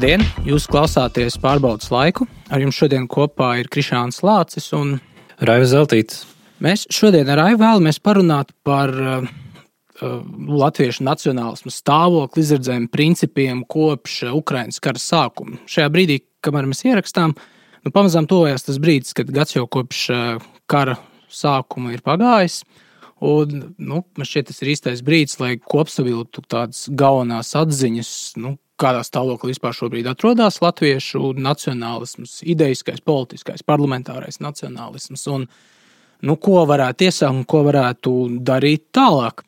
Labdien! Jūs klausāties Pārbaudas laiku. Ar jums šodien kopā ir Krišāns Lācis un Raivis Zeltītis. Mēs šodien ar Raivu vēlamies parunāt par latviešu nacionālismu stāvokli, izredzēm, principiem kopš Ukrainas kara sākuma. Šajā brīdī, kamēr mēs ierakstām, pamazām tojās tas brīdis, kad gads jau kopš kara sākuma ir pagājis. Un, man šķiet, tas ir īstais brīdis, lai kopsavilktu tādas galvenās atziņas, kādā stāvoklī vispār šobrīd atrodas latviešu nacionālisms, ideiskais, politiskais, parlamentārais nacionālisms un ko varētu iesākt un ko varētu darīt tālāk.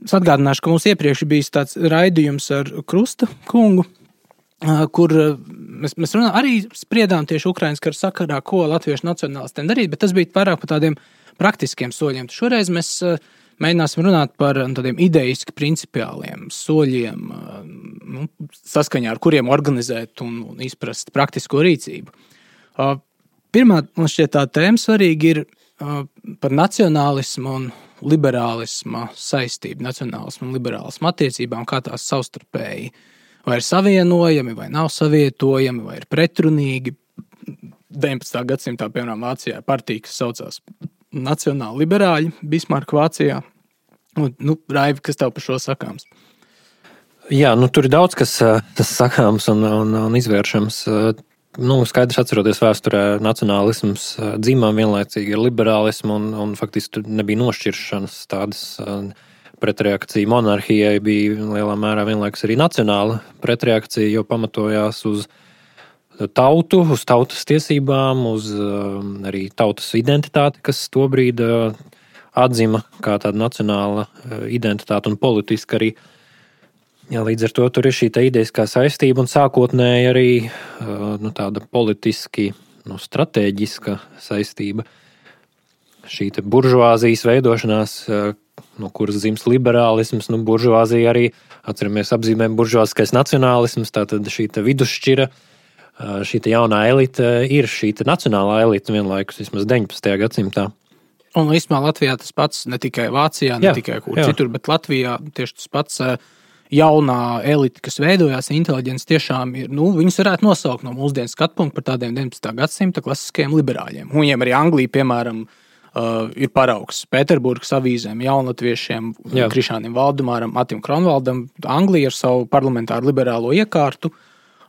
Es atgādināšu, ka mums iepriekš bijis tāds raidījums ar Krusta kungu, kur mēs arī spriedām tieši Ukrainas kara sakarā, ko latviešu nacionālistiem darīt, bet tas bija vairāk par tādiem praktiskiem soļiem. Šoreiz mēs mēģināsim runāt par tādiem ideiski principiāliem soļiem, saskaņā ar kuriem organizēt un izprast praktisko rīcību. Pirmā, man šķiet, tā tēma svarīga ir par nacionālismu un liberālisma saistību, nacionālismu un liberālismu attiecībām, kā tās savstarpēji vai ir savienojami, vai nav savietojami, vai ir pretrunīgi. 19. gadsimtā, piemēram, Vācijā partija, kas saucās Nacionāli liberāļi, Bismarka Vācijā. Raivi, kas tev par šo sakāms? Jā, tur ir daudz, kas sakāms un izvēršams. Skaidrs atceroties vēsturē, nacionālisms dzimām vienlaicīgi ar liberālismu un faktiski tur nebija nošķiršanas tādas pretreakcija. Monarhijai bija lielā mērā vienlaikus arī nacionāla pretreakcija, jo pamatojās uz tautu, uz tautas tiesībām, uz arī tautas identitāti, kas tobrīd atzima kā tāda nacionāla identitāte un politiska arī. Jā, līdz ar to tur ir šī ideiskā saistība un sākotnēji arī tāda politiski stratēģiska saistība. Šī buržuāzijas veidošanās, no kuras dzims liberālisms, buržuāzija arī, atceramies, apzīmē buržuāziskais nacionālisms, tātad šī vidusšķira, šī jaunā elite ir šī nacionālā elite vienlaikus vismaz 19. gadsimtā. Un īstenībā Latvijā tas pats, ne tikai Vācijā, ne tikai kur citur, bet Latvijā tieši tas pats jaunā elite, kas veidojās, inteliģents tiešām ir, viņus varētu nosaukt no mūsdienu skatpunkta par tādiem 19. gadsimta klasiskajiem liberāļiem. Un viņiem arī Anglija, piemēram, ir paraugs Pēterburgas avīzēm, jaunlatviešiem, Krišānim Valdemāram, Matim Kronvaldam. Anglija ar savu parlamentāru liberālo iekārtu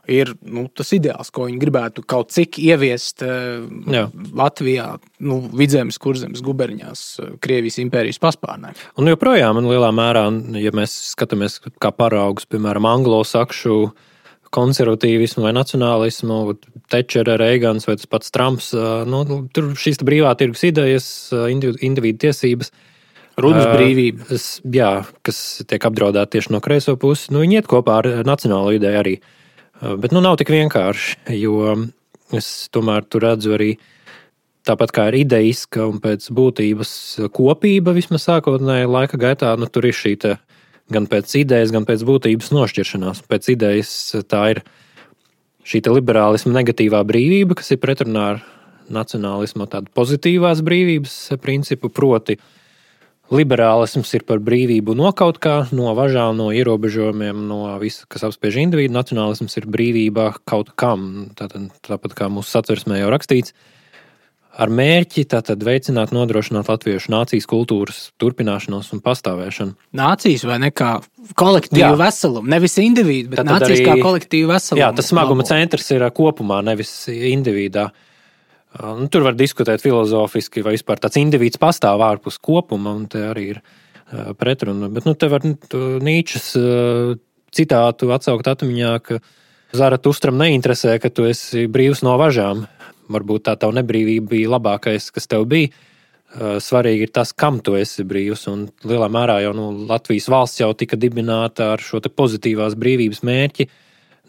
ir tas ideāls, ko viņi gribētu kaut cik ieviest Latvijā, Vidzemes, Kurzemes guberņās, Krievijas impērijas paspārnē. Un joprojām, lielā mērā, ja mēs skatāmies kā paraugus, piemēram, anglosakšu konservatīvismu vai nacionālismu, Tečera, Reigans vai tas pats Trumps, tur šīs brīvā tirgus idejas, individu tiesības, runas brīvība. Kas tiek apdraudēta tieši no kreiso puses, viņi iet kopā ar nacionālo ideju arī. Bet nav tik vienkārši, jo es tomēr tur redzu arī tāpat kā ir ideiska un pēc būtības kopība vismaz sākotnēji laika gaitā, tur ir šī gan pēc idejas, gan pēc būtības nošķiršanās. Pēc idejas tā ir šī liberālisma negatīvā brīvība, kas ir pretrunā ar nacionālismu tādu pozitīvās brīvības principu, proti liberālisms ir par brīvību no kaut kā, no važām, no ierobežojumiem, no visa, kas apspiež individu. Nacionālisms ir brīvība kaut kam, tāpat kā mūsu satversmē jau rakstīts, ar mērķi veicināt, nodrošināt latviešu nācijas kultūras turpināšanos un pastāvēšanu. Nācijas vai ne kā kolektīvu veselumu, nevis individu, bet nācijas arī, kā kolektīvu veselumu. Jā, tas smaguma centrs ir kopumā, nevis individā. Tur var diskutēt filozofiski, vai vispār tāds individs pastāv ārpus kopuma, un te arī ir pretruna. Bet te var Nīčes citātu atsaukt atmiņā, ka Zaratustram neinteresē, ka tu esi brīvs no važām. Varbūt tā tava nebrīvība bija labākais, kas tev bija. Svarīgi ir tas, kam tu esi brīvs, un lielā mērā jau Latvijas valsts jau tika dibināta ar šo te pozitīvās brīvības mērķi,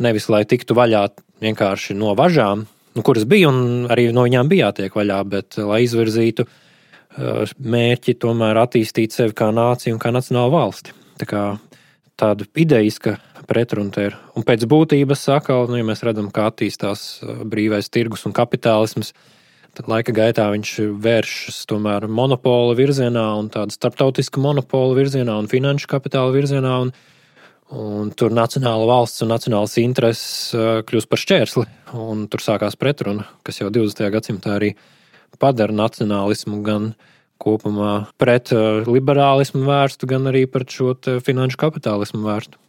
nevis lai tiktu vaļā vienkārši no važām, kuras bija, un arī no viņām bija jātiek vaļā, bet lai izvirzītu mērķi tomēr attīstīt sevi kā nāciju un kā nacionālu valsti. Tā kā tāda ideiska pretruna te ir. Un pēc būtības atkal, ja mēs redzam, kā attīstās brīvais tirgus un kapitālisms, tad laika gaitā viņš vēršas tomēr monopola virzienā un tāda starptautiska monopola virzienā un finanšu kapitāla virzienā. Un tur nacionāla valsts un nacionālas intereses kļūst par šķērsli, un tur sākās pretruna, kas jau 20. gadsimtā arī padara nacionālismu gan kopumā pret liberālismu vērstu, gan arī pret šo finanšu kapitālismu vērstu.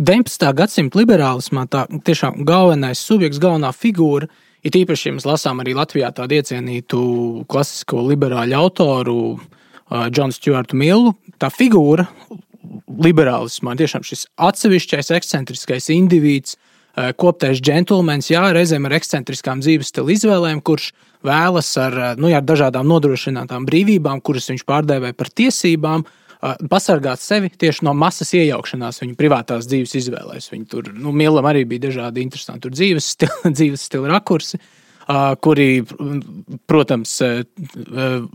19. gadsimta liberālismā tā tiešām galvenais subjekts, galvenā figūra, ir īpaši, ja mēs lasām arī Latvijā tādu iecienītu klasisko liberāļu autoru Džonu Stjuartu Millu, tā figūra liberālismā tiešām šis atsevišķais ekscentriskais indivīds, koptais džentlmenis, reizēm ar ekscentriskām dzīves stila izvēlēm, kurš vēlas ar dažādām nodrošinātām brīvībām, kuras viņš pārdēvē par tiesībām, pasargāt sevi tieši no masas iejaukšanās viņa privātās dzīves izvēlēs. Viņa tur, Millam arī bija dažādi interesanti dzīves stila rakursi, kuri, protams,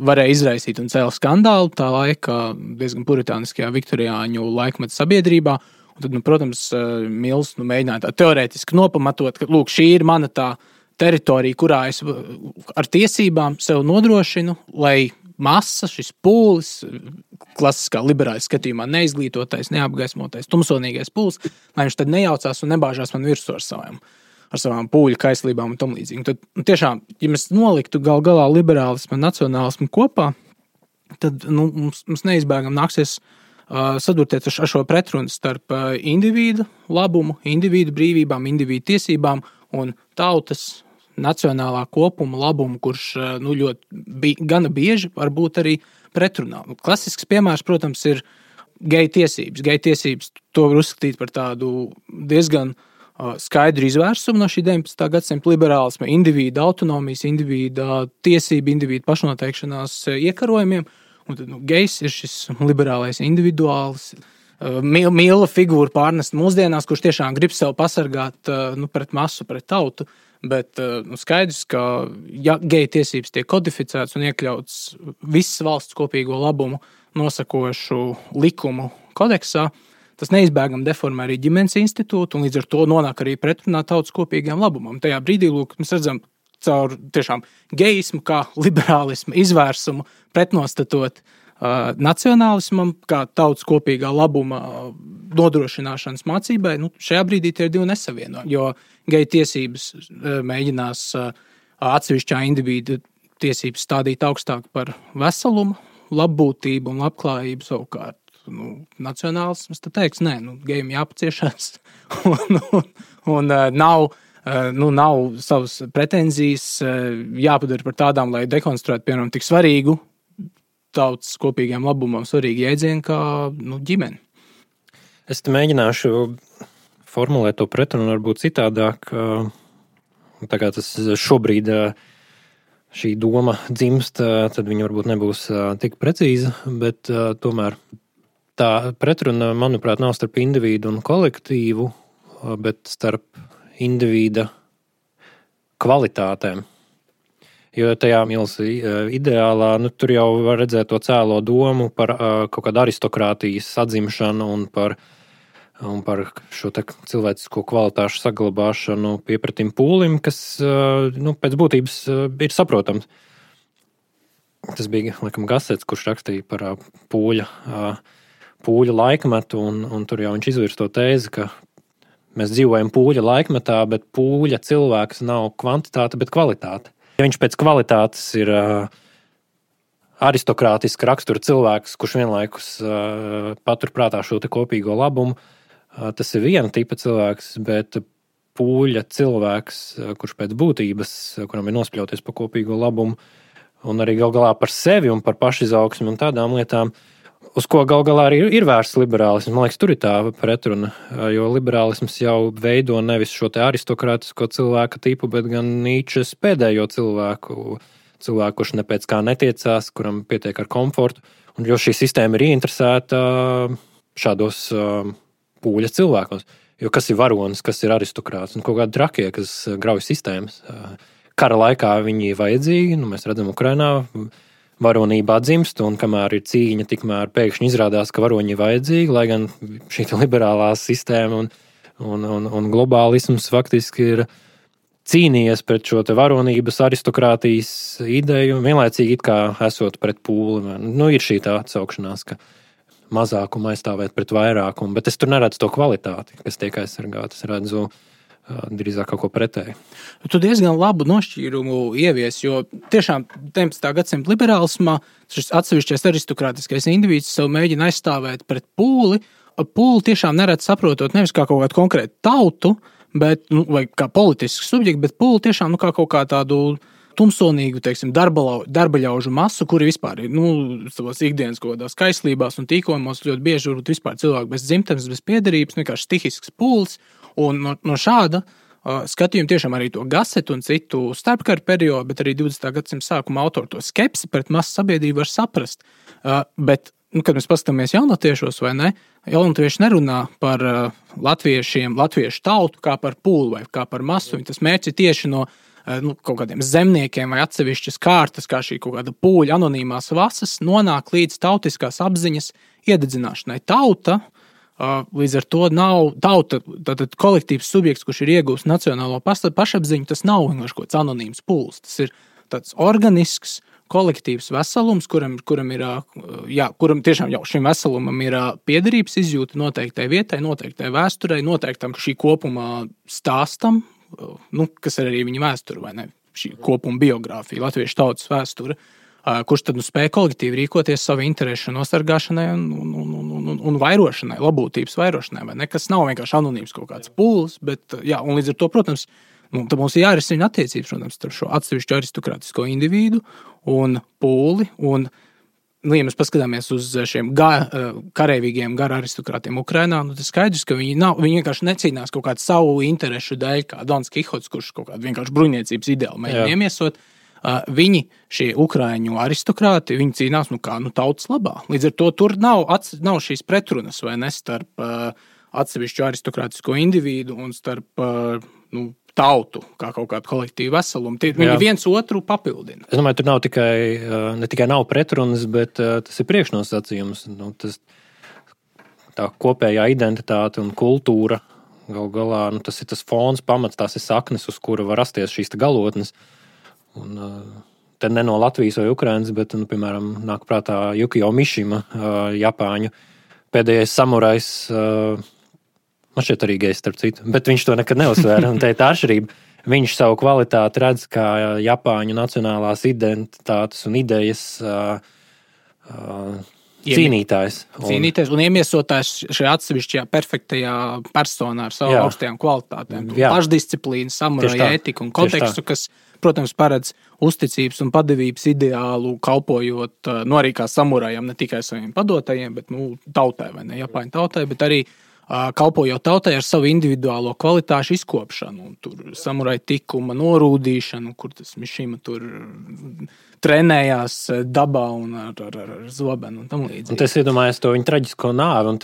varēja izraisīt un cēla skandālu tā laika diezgan puritāniskajā viktoriāņu laikmeta sabiedrībā. Un tad, protams, Mills mēģināja tā teorētiski nopamatot, ka, lūk, šī ir mana tā teritorija, kurā es ar tiesībām sev nodrošinu, lai masa, šis pūlis, klasiskā liberāļu skatījumā neizglītotais, neapgaismotais, tumsonīgais pūlis, lai viņš tad nejaucās un nebāžās man virsū ar savām pūļu kaislībām un tam līdzīgi. Tad, tiešām, ja mēs noliktu gal galā liberālismu un nacionālismu kopā, tad mums neizbēgam nāksies sadurties ar šo pretrunu starp individu labumu, individu brīvībām, individu tiesībām un tautas nacionālā kopuma labumu, kurš ļoti gana bieži var būt arī pretrunā. Klasisks piemērs, protams, ir geju tiesības. Geju tiesības to var uzskatīt par tādu diezgan skaidru izvērsumu no šī 19. gadsimta liberālisma, individu autonomijas, individu tiesību, individu pašnoteikšanās iekarojumiem. Un tad gejs ir šis liberālais individuāls, Milla figūra pārnest mūsdienās, kurš tiešām grib sev pasargāt pret masu, pret tautu. Bet skaidrs, ka ja geju tiesības tiek kodificētas un iekļauts visas valsts kopīgo labumu nosakošu likumu kodeksā, tas neizbēgami deformē arī ģimenes institūtu un līdz ar to nonāk arī pretrunā tautas kopīgiem labumam. Tajā brīdī, mēs redzam caur tiešām gejismu kā liberālismu izvērsumu pretnostatot nacionālismam, kā tautas kopīgā labuma nodrošināšanas mācībai, šajā brīdī tie ir divi nesavienojumi, jo geju tiesības mēģinās atsevišķā individu tiesības stādīt augstāk par veselumu, labbūtību un labklājību savukārt. Nacionālisms tad teiks, nē, gejiem jāpaciešās un nav savas pretenzijas jāpadara par tādām, lai dekonstruētu, piemēram, tik svarīgu tautas kopīgiem labumam svarīgi jēdzieni kā ģimene. Es te mēģināšu formulēt to pretrunu varbūt citādāk, tā kā tas šobrīd šī doma dzimst, tad viņa varbūt nebūs tik precīza, bet tomēr tā pretruna, manuprāt, nav starp individu un kolektīvu, bet starp individa kvalitātēm. Jo tajā Mills ideālā, tur jau var redzēt to cēlo domu par kaut kādu aristokrātijas atzimšanu un par šo cilvēcisko kvalitāšu saglabāšanu piepratim pūlim, kas pēc būtības ir saprotams. Tas bija, laikam, Gasets, kurš rakstīja par pūļa laikmetu, un tur jau viņš izvirs to tēzi, ka mēs dzīvojam pūļa laikmetā, bet pūļa cilvēks nav kvantitāte, bet kvalitāte. Ja viņš pēc kvalitātes ir aristokrātiska rakstura cilvēks, kurš vienlaikus paturprātā šo te kopīgo labumu, tas ir viena tipa cilvēks, bet pūļa cilvēks, kurš pēc būtības, kuram ir nospļauties par kopīgo labumu, un arī gal galā par sevi un par pašizaugsmi un tādām lietām, uz ko gal galā arī ir vērsts liberālisms. Man liekas, tur ir tā pretruna, jo liberālisms jau veido nevis šo te aristokrātisko cilvēka tipu, bet gan Nīčes pēdējo cilvēku, kurš ne pēc kā netiecās, kuram pietiek ar komfortu. Un jo šī sistēma ir ieinteresēta šādos pūļa cilvēkos. Jo kas ir varonis, kas ir aristokrāts un kaut kādi trakie, kas grauj sistēmas. Kara laikā viņi ir vajadzīgi, mēs redzam Ukrainā, varonība atdzimst, un kamēr ir cīņa, tikmēr pēkšņi izrādās, ka varoņi ir vajadzīgi, lai gan šī liberālā sistēma un globālisms faktiski ir cīnījies pret šo te varonības aristokrātijas ideju, vienlaicīgi it kā esot pret pūli. Ir šī tā atsaukšanās, ka mazākumu aizstāvēt pret vairākumu, bet es tur neredzu to kvalitāti, kas tiek aizsargāta. Es redzu drīzāk kaut ko pretēji. Tu diezgan labu nošķīrumu ievies, jo tiešām 19. gadsimta liberālismā šis atsevišķais aristokrātiskais individs sev mēģina aizstāvēt pret pūli. Pūli tiešām neredz saprotot nevis kā kaut kādu konkrētu tautu, bet, vai kā politisku subjektu, bet pūli tiešām kā kaut kā tādu tumsonīgu, teiksim, darbaļaužu masu, kuri vispār ir, savos ikdienas kaut kādās kaislībās un tīkojumos ļoti bieži varbūt vispār cilvēki bez dzimtenes, bez piederības, vienkārši stihisks pūlis. Un no šāda skatījuma tiešām arī to Gasetu un citu starpkaru periodu, bet arī 20. gadsimta sākuma autoru to skepsi pret masu sabiedrību var saprast. Bet, kad mēs paskatāmies jaunatviešos vai ne, jaunatieši nerunā par latviešu tautu kā par pūli vai kā par masu. Tas mērķis ir tieši no kaut kādiem zemniekiem vai atsevišķas kārtas, kā šī kaut kāda pūļa anonīmās vasas, nonāk līdz tautiskās apziņas iededzināšanai. Tauta, līdz ar to nav tauta, tātad kolektīvs subjekts, kurš ir iegūst nacionālo pašapziņu, tas nav vienkārši kaut kāds anonīms pūlis. Tas ir tāds organisks, kolektīvs veselums, kuram tiešām jau šim veselumam ir piederības izjūta noteiktai vietai, noteiktai vēsturei, noteiktam šī kopuma stāstam, kas ir arī viņa vēsture, vai ne? Šī kopuma biogrāfija, latviešu tautas vēsture, kurš tad spēja kolektīvi rīkoties savu interešu nosargāšanai un vairošanai, labotības vairošanai, vai ne? Kas nav vienkārši anonīms kaut kāds pūlis, bet, un līdz ar to, protams, tad mums ir jārisina attiecības, protams, starp šo atsevišķu aristokrātisko individu un pūli, un, ja mēs paskatāmies uz šiem kareivīgiem gara aristokrātiem Ukrainā, tas skaidrs, ka viņi vienkārši necīnās kaut kādu savu interešu dēļ, kā Dons Kihots, kurš kaut kādu vienkārši bruņniecības ideālu mēģina iemiesot. Viņi, šie ukraiņu aristokrāti, viņi cīnās tautas labā. Līdz ar to tur nav šīs pretrunas, vai ne, starp atsevišķu aristokrātisko individu un starp tautu, kā kaut kādu kolektīvu veselumu. Viņi viens otru papildina. Es domāju, tur nav ne tikai nav pretrunas, bet tas ir priekšnosacījums. Tā kopējā identitāte un kultūra gal galā, tas ir tas fons, pamats, tās ir saknes, uz kura var rasties šīs galotnes. Un te ne no Latvijas vai Ukrainas, bet, piemēram, nāk prātā Jukio Mišima, Japāņu pēdējais samurajs, man šķiet arī gejs, starp citu, bet viņš to nekad neuzsvēra, un te ir tā atšķirība. Viņš savu kvalitāti redz kā Japāņu nacionālās identitātes un idejas cīnītājs. Cīnītājs un iemiesotājs šajā atsevišķajā perfektajā personā ar savām augstajām kvalitātēm. Pašdisciplīnu, samuraja ētiku un kontekstu, kas, protams, paredz uzticības un padevības ideālu, kalpojot arī kā samurajam, ne tikai saviem padotajiem, bet tautai vai ne, Japāņu tautai, bet arī kalpojot tautai ar savu individuālo kvalitāšu izkopšanu, tur samuraja tikuma norūdīšanu, kur tas Mišima tur trenējās dabā un ar zobenu un tam līdzīgi. Un es iedomājos to viņa traģisko nāvi, un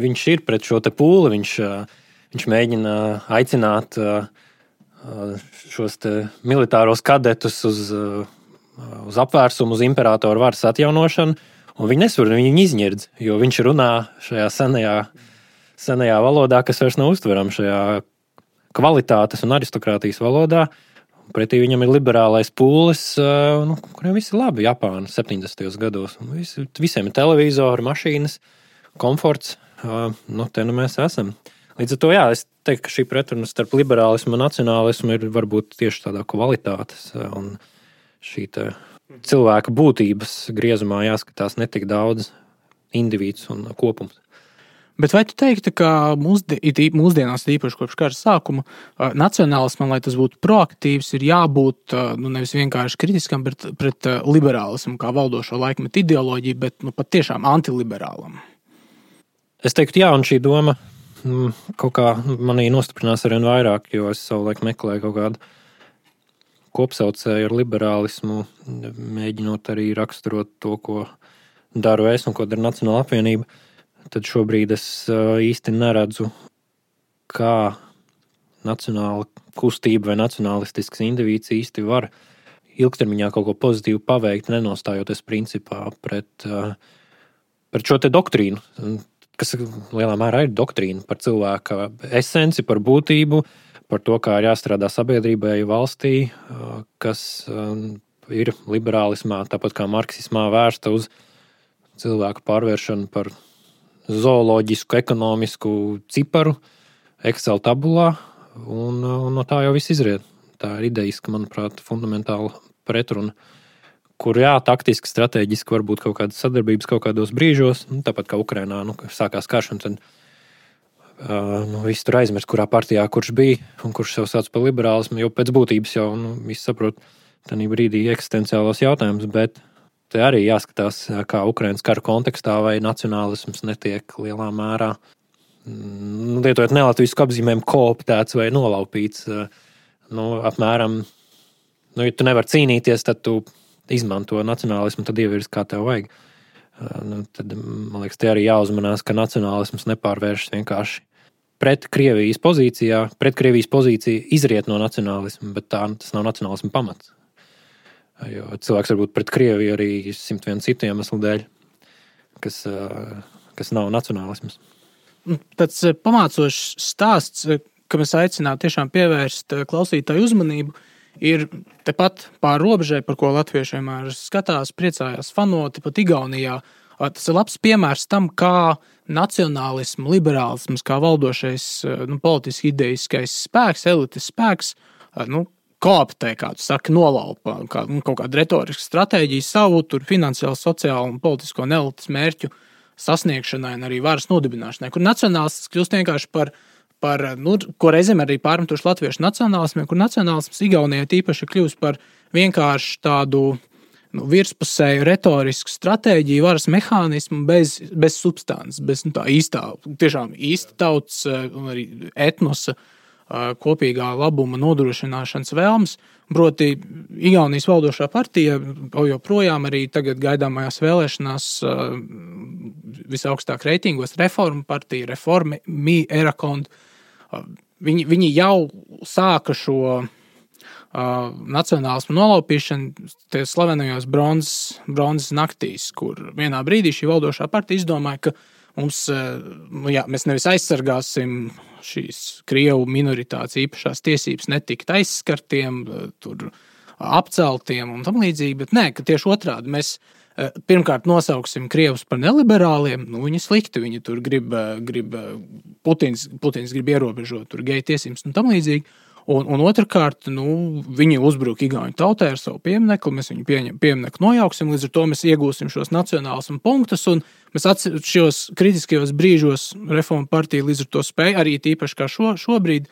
viņš ir pret šo te pūli, viņš mēģina aicināt šos te militāros kadetus uz apvērsumu, uz imperatoru varas atjaunošanu, un viņi nesvar, viņi izņirdz, jo viņš runā šajā senajā valodā, kas vairs nav uztverama šajā kvalitātes un aristokrātijas valodā. Pretī viņam ir liberālais pūlis, kuriem viss ir labi Japāna 70. gados. Visiem ir televizori, mašīnas, komforts. Te mēs esam. Līdz ar to, es teiktu, ka šī pretruna starp liberālismu un nacionālismu ir varbūt tieši tādā kvalitātes un šī cilvēka būtības griezumā jāskatās netik daudz individs un kopums. Bet vai tu teiktu, ka mūsdienās, īpaši kopš kara sākuma, nacionālismam, lai tas būtu proaktīvs, ir jābūt nevis vienkārši kritiskam pret liberālismu kā valdošo laikmetu ideoloģiju, bet pat tiešām antiliberālam? Es teiktu, un šī doma kaut kā manī nostiprinās arvien vairāk, jo es savulaik meklēju kaut kādu kopsaucēju ar liberālismu, mēģinot arī raksturot to, ko daru es un ko dara Nacionāla apvienība. Tad šobrīd es īsti neredzu, kā nacionāla kustība vai nacionalistisks indivīds īsti var ilgtermiņā kaut ko pozitīvu paveikt, nenostājoties principā pret šo te doktrīnu, kas lielā mērā ir doktrīna par cilvēka esenci, par būtību, par to, kā ir jāstrādā sabiedrībai, valstī, kas ir liberālismā, tāpat kā marksismā vērsta uz cilvēku pārvēršanu par zooloģisku, ekonomisku ciparu Excel tabulā, un no tā jau viss izriet. Tā ir idejiska, manuprāt, fundamentāla pretruna, kur taktiski, strateģiski var būt kaut kādas sadarbības kaut kādos brīžos, tāpat kā Ukrainā, sākās karš, un tad viss tur aizmirst, kurā partijā kurš bija un kurš sev sauc par liberālismu, jo pēc būtības jau viss saprot tādā brīdī eksistenciālos jautājumus, bet te arī jāskatās, kā Ukrainas kara kontekstā vai nacionālisms netiek lielā mērā, lietojot nelatvisku apzīmējumu, kooptēts vai nolaupīts. Apmēram, ja tu nevari cīnīties, tad tu izmanto nacionālismu, tad ievirs, kā tev vajag. Tad, man liekas, te arī jāuzmanās, ka nacionālisms nepārvēršas vienkārši pret Krievijas pozīcijā. Pret Krievijas pozīcija izriet no nacionālisma, bet tas nav nacionālisma pamats. Jo cilvēks var būt pret Krieviju arī 101 citu iemeslu dēļ, kas nav nacionālisms. Tāds pamācošs stāsts, ka mēs aicinātu tiešām pievērst klausītāju uzmanību, ir tepat pār robežai, par ko latvieši vienmēr skatās, priecājās, fanoti pat Igaunijā. Tas ir labs piemērs tam, kā nacionālismu, liberālisms, kā valdošais politiski ideiskais spēks, elites spēks, kooptē, kā tu saki, nolaupa kaut kādu retorisku stratēģiju savu, tur finansiālu, sociālu un politisko un elites mērķu sasniegšanai un arī varas nodibināšanai, kur nacionālists kļūst vienkārši par ko reizēm arī pārmetuši latviešu nacionālismiem, kur nacionālisms Igaunijai tīpaši kļūst par vienkārši tādu virspusēju retorisku stratēģiju, varas mehānismu bez substances, bez tā tiešām īsta tautas un arī etnosa kopīgā labuma nodrošināšanas vēlmes. Proti, Igaunijas valdošā partija joprojām arī tagad gaidāmajās vēlēšanās visaugstāk reitingos Reforma partija, Reformi, Erakond. Viņi jau sāka šo nacionālismu nolaupīšanu tie slavenajos bronzas naktīs, kur vienā brīdī šī valdošā partija izdomāja, ka mēs nevis aizsargāsim šīs Krievu minoritātes īpašās tiesības netikt aizskartiem, tur apceltiem un tam līdzīgi, bet nē, ka tieši otrādi mēs pirmkārt nosauksim Krievus par neliberāliem, viņi slikti, viņi tur grib Putins grib ierobežot tur geju tiesības un tam līdzīgi. Un otrkārt, viņi uzbruk igauņu tautai ar savu pieminekli, mēs viņu pieminekli nojauksim, līdz ar to mēs iegūsim šos nacionālismu punktus, un mēs šos kritiskajos brīžos Reforma partija līdz ar to spēja arī tīpaši kā šobrīd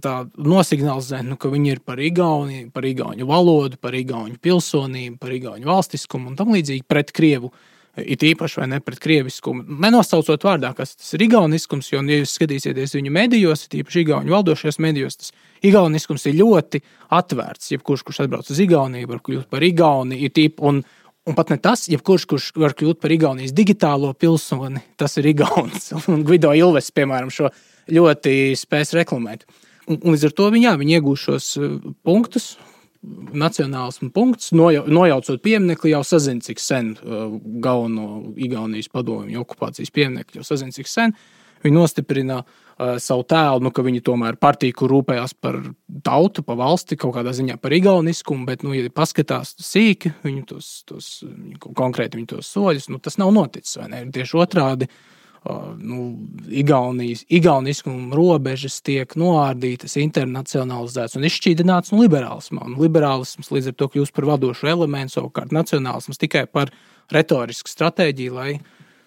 tā nosignalizēt, ka viņi ir par Igauniju, par igauņu valodu, par igauņu pilsonību, par igauņu valstiskumu un tam līdzīgi pret Krievu. It īpaši vai ne pret krieviskumu. Nenosaucot vārdā, kas tas ir igauniskums, jo, ja jūs skatīsieties viņu medijos, it īpaši igauņu valdošajos medijos, tas igauniskums ir ļoti atvērts. Jebkurš, kurš atbrauc uz Igauniju, var kļūt par Igauni, un pat ne tas, kurš var kļūt par Igaunijas digitālo pilsoni, tas ir Igaunis. Un Gvido Ilves, piemēram, šo ļoti spēs reklamēt. Un līdz ar to viņi iegūs šos punktus, nacionālismu punkts, nojaucot pieminekli, jau sazina, cik sen galveno Igaunijas padomju okupācijas pieminekli, jau sazina, cik sen. Viņi nostiprina savu tēlu, ka viņi tomēr partija, kur rūpējās par tautu, par valsti, kaut kādā ziņā par igauniskumu, bet, ja paskatās sīki, konkrēti tos soļus, tas nav noticis, vai ne? Tieši otrādi, igauniskumu robežas tiek noārdītas, internacionalizētas un izšķīdinātas no liberālismā. Un liberālisms līdz ar to kļūst par vadošu elementu, savukārt nacionālisms tikai par retorisku stratēģiju, lai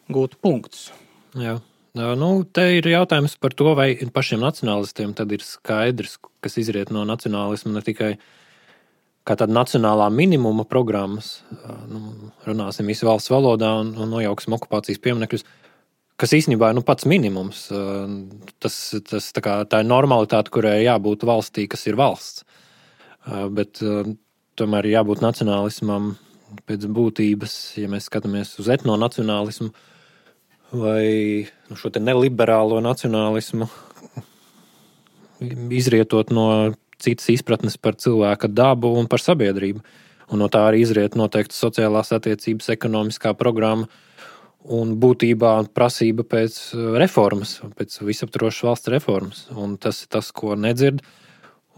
gūtu punktus. Jā. Te ir jautājums par to, vai pašiem nacionālistiem tad ir skaidrs, kas izriet no nacionālisma, ne tikai kā tāda nacionālā minimuma programmas, runāsim visu valsts valodā un nojauksim okupācijas pieminekļus, kas īstenībā ir pats minimums. Tā ir normalitāte, kurai jābūt valstī, kas ir valsts. Bet tomēr jābūt nacionālismam pēc būtības, ja mēs skatāmies uz etnonacionālismu vai šo te neliberālo nacionālismu, izrietot no citas izpratnes par cilvēka dabu un par sabiedrību. Un no tā arī izriet noteikti sociālās attiecības, ekonomiskā programma, un būtībā prasība pēc reformas, pēc visaptvarošas valsts reformas. Un tas ir tas, ko nedzird.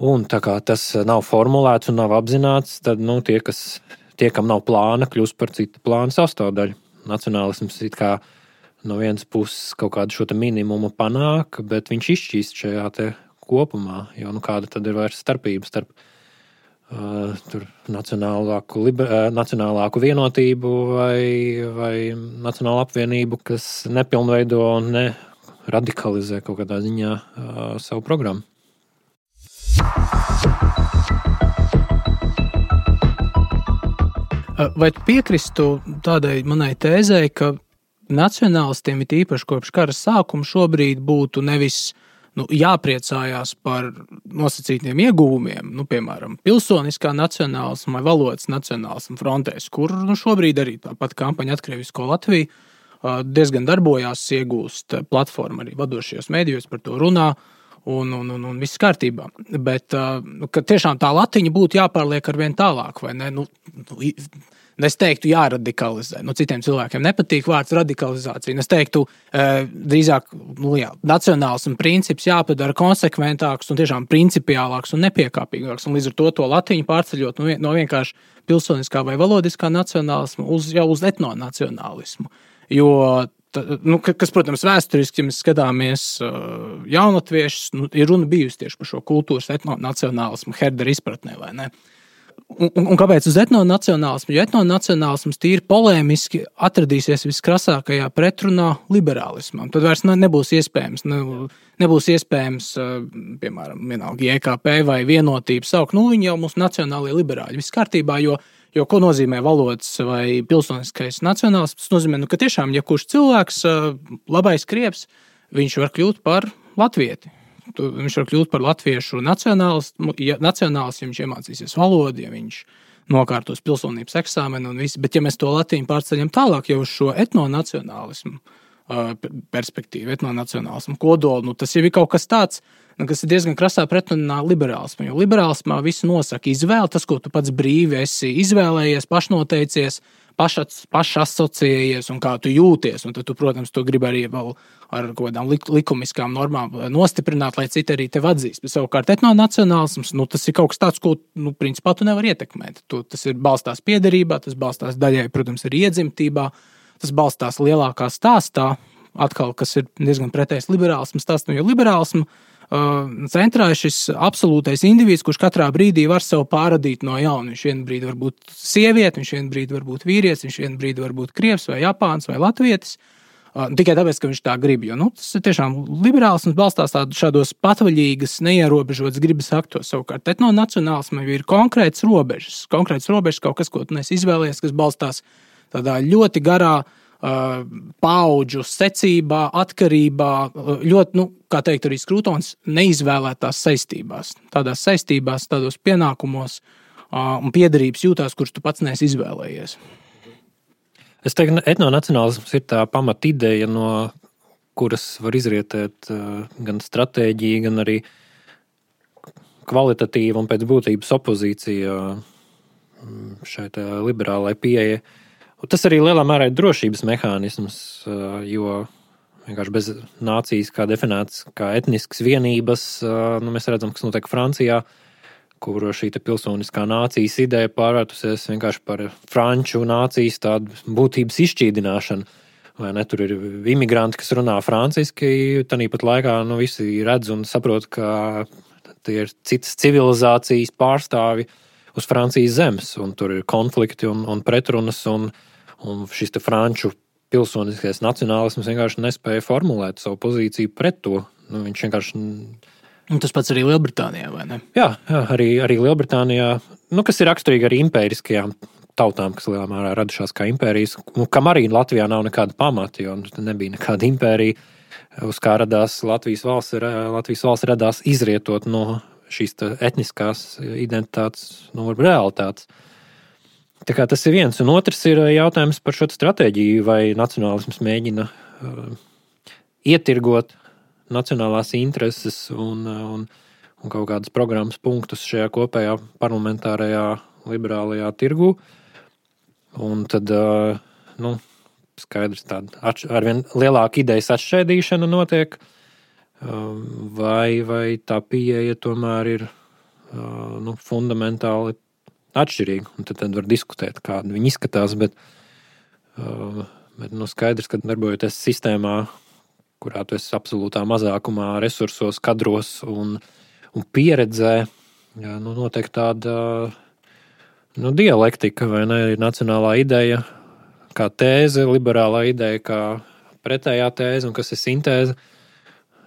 Un tā kā tas nav formulēts un nav apzināts, tad tie, kam nav plāna, kļūst par citu plānu sastāvdaļu. Nacionālisms it kā no vienas puses kaut kādu šo minimumu panāk, bet viņš izšķīst šajā te kopumā, jo kāda tad ir vairs starpība starp nacionālāku vienotību vai nacionālu apvienību, kas nepilnveido un neradikalizē kaut kādā ziņā savu programmu. Vai tu piekristu tādai manai tēzei, ka nacionālistiem ir īpaši kopš kara sākuma šobrīd būtu nevis jāpriecājās par nosacītiem ieguvumiem, piemēram, pilsoniskā nacionālisma vai valodas nacionālisma frontēs, kur šobrīd arī tāpat kampaņa Atkrievisko Latviju diezgan darbojās, iegūst platformu arī vadošajos mēdījos, par to runā un viss kārtībā. Bet ka tiešām tā latiņa būtu jāpārliek arvien tālāk, vai ne? Es teiktu, jāradikalizē. Citiem cilvēkiem nepatīk vārds radikalizācija. Es teiktu, drīzāk, nacionālisma princips jāpadara konsekventāks un tiešām principiālāks un nepiekāpīgāks. Un līdz ar to latiņu pārceļot no vienkārši pilsoniskā vai valodiskā nacionālisma uz etnonacionālismu. Jo, kas, protams, vēsturiski, ja mēs skatāmies jaunatviešus, ir runa bijusi tieši par šo kultūras etnonacionālismu Herdera izpratnē, vai ne? Un kāpēc uz etnonacionālismu? Jo etnonacionālisms tīri polēmiski atradīsies viskrasākajā pretrunā liberālismam. Tad vairs nebūs iespējams, piemēram, vienalga JKP vai vienotību saukt. Viņi jau mūsu nacionālie liberāļi. Viss kārtībā, jo ko nozīmē valodas vai pilsoniskais nacionālisms? Tas nozīmē, ka tiešām, ja kurš cilvēks, labais krievs, viņš var kļūt par latvieti. Viņš var kļūt par latviešu nacionālistu, ja viņš iemācīsies valodu, ja viņš nokārtos pilsonības eksāmenu un viss. Bet ja mēs to latiņu pārceļam tālāk jau uz šo etnonacionālismu perspektīvu, etnonacionālismu kodolu, tas jau ir kaut kas tāds, kas ir diezgan krasā pretrunā liberālismam. Jo liberālismā visu nosaka izvēle, tas, ko tu pats brīvi esi izvēlējies, pašnoteicies, pašasociējies un kā tu jūties. Un tad tu, protams, to gribi arī vēl ar kaut kādām likumiskām normām nostiprināt, lai citi arī tevi atzīst. Bet savukārt etnonacionālisms, tas ir kaut kas tāds, ko, principā tu nevar ietekmēt. Tas ir balstās piederībā, tas balstās daļai, protams, arī iedzimtībā, tas balstās lielākā stāstā, atkal, kas ir diezgan pretējs liberālismu stāstam, jo liberālismu centrā ir šis absolūtais indivīds, kurš katrā brīdī var sev pārradīt no jauna. Viņš vienu brīdi var būt sieviete, viņš vienu brīdi var būt vīrietis, viņš vienu brīdi var būt krievs vai japāns vai latvietis. Tikai tāpēc, ka viņš tā grib. Jo, tas ir tiešām liberālisms balstās šādos patvaļīgas, neierobežotas gribas aktos. Savukārt etnonacionālismam ir konkrēts robežas, kaut kas, ko tu neesi izvēlējies, kas balstās tādā ļoti garā paudžu secībā, atkarībā, ļoti, kā teikt arī Skrūtons, neizvēlētās saistībās. Tādās saistībās, tādos pienākumos un piederības jūtās, kurus tu pats neesi izvēlējies. Es teiktu, etnonacionālisms ir tā pamata ideja, no kuras var izrietēt gan stratēģija, gan arī kvalitatīva un pēc būtības opozīcija šai liberālai pieeja. Tas arī lielā mērā ir drošības mehānisms, jo vienkārši bez nācijas kā definēts kā etniskas vienības, mēs redzam, kas notiek Francijā, kur šī pilsoniskā nācijas ideja pārvērtusies vienkārši par franču nācijas tādu būtības izšķīdināšanu. Vai ne, tur ir imigranti, kas runā franciski, tāpat laikā visi redz un saprot, ka tie ir citas civilizācijas pārstāvi uz Francijas zemes, un tur ir konflikti un pretrunas, un šis franču pilsoniskais nacionālisms vienkārši nespēja formulēt savu pozīciju pret to. Viņš vienkārši... Un tas pats arī Lielbritānijā, vai ne? Jā, arī Lielbritānijā, kas ir raksturīgi arī impēriskajām tautām, kas lielā mērā radušās kā impērijas, kam arī Latvijā nav nekāda pamata, jo nebija nekāda impērija, uz kā radās Latvijas valsts. Latvijas valsts radās izrietot no šīs etniskās identitātes, realitātes. Tā kā tas ir viens, un otrs ir jautājums par šo stratēģiju, vai nacionālisms mēģina ietirgot nacionālās intereses un kaut kādas programmas punktus šajā kopējā parlamentārajā liberālajā tirgū. Un tad, skaidrs, tāda arvien lielāka idejas atšķaidīšana notiek, vai tā pieeja tomēr ir fundamentāli atšķirīga. Un tad var diskutēt, kāda viņi izskatās, bet Bet skaidrs, ka darbojoties sistēmā, kurā tu esi absolūtā mazākumā resursos, kadros un pieredzē, notiek tāda dialektika, vai ne? Ir nacionālā ideja kā tēze, liberālā ideja kā pretējā tēze, un kas ir sintēze.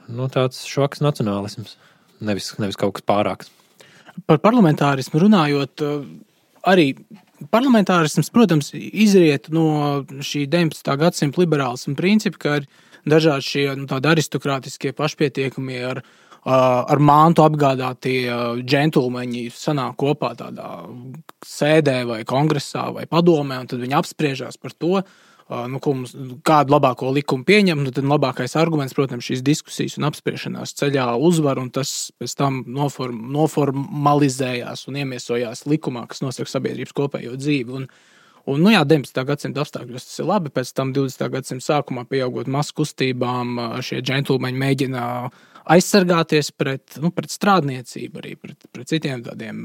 Tāds šoks nacionālisms, nevis kaut kas pārāks. Par parlamentārismu runājot, arī parlamentārisms, protams, izriet no šī 19. gadsimta liberālisma principa, ka ir dažādi šie tādi aristokrātiskie pašpietiekamie ar mantu apgādātie džentlmeņi sanāk kopā tādā sēdē vai kongresā vai padomē, un tad viņi apspriežās par to, kādu labāko likumu pieņem, tad labākais arguments, protams, šīs diskusijas un apspriešanās ceļā uzvar, un tas pēc tam noformalizējās un iemiesojās likumā, kas nosaka sabiedrības kopējo dzīvi. Un 19. gadsimta apstākļos tas ir labi, pēc tam 20. gadsimta sākumā pieaugot masu kustībām, šie džentlmeņi mēģina aizsargāties pret strādniecību, arī pret citiem tādiem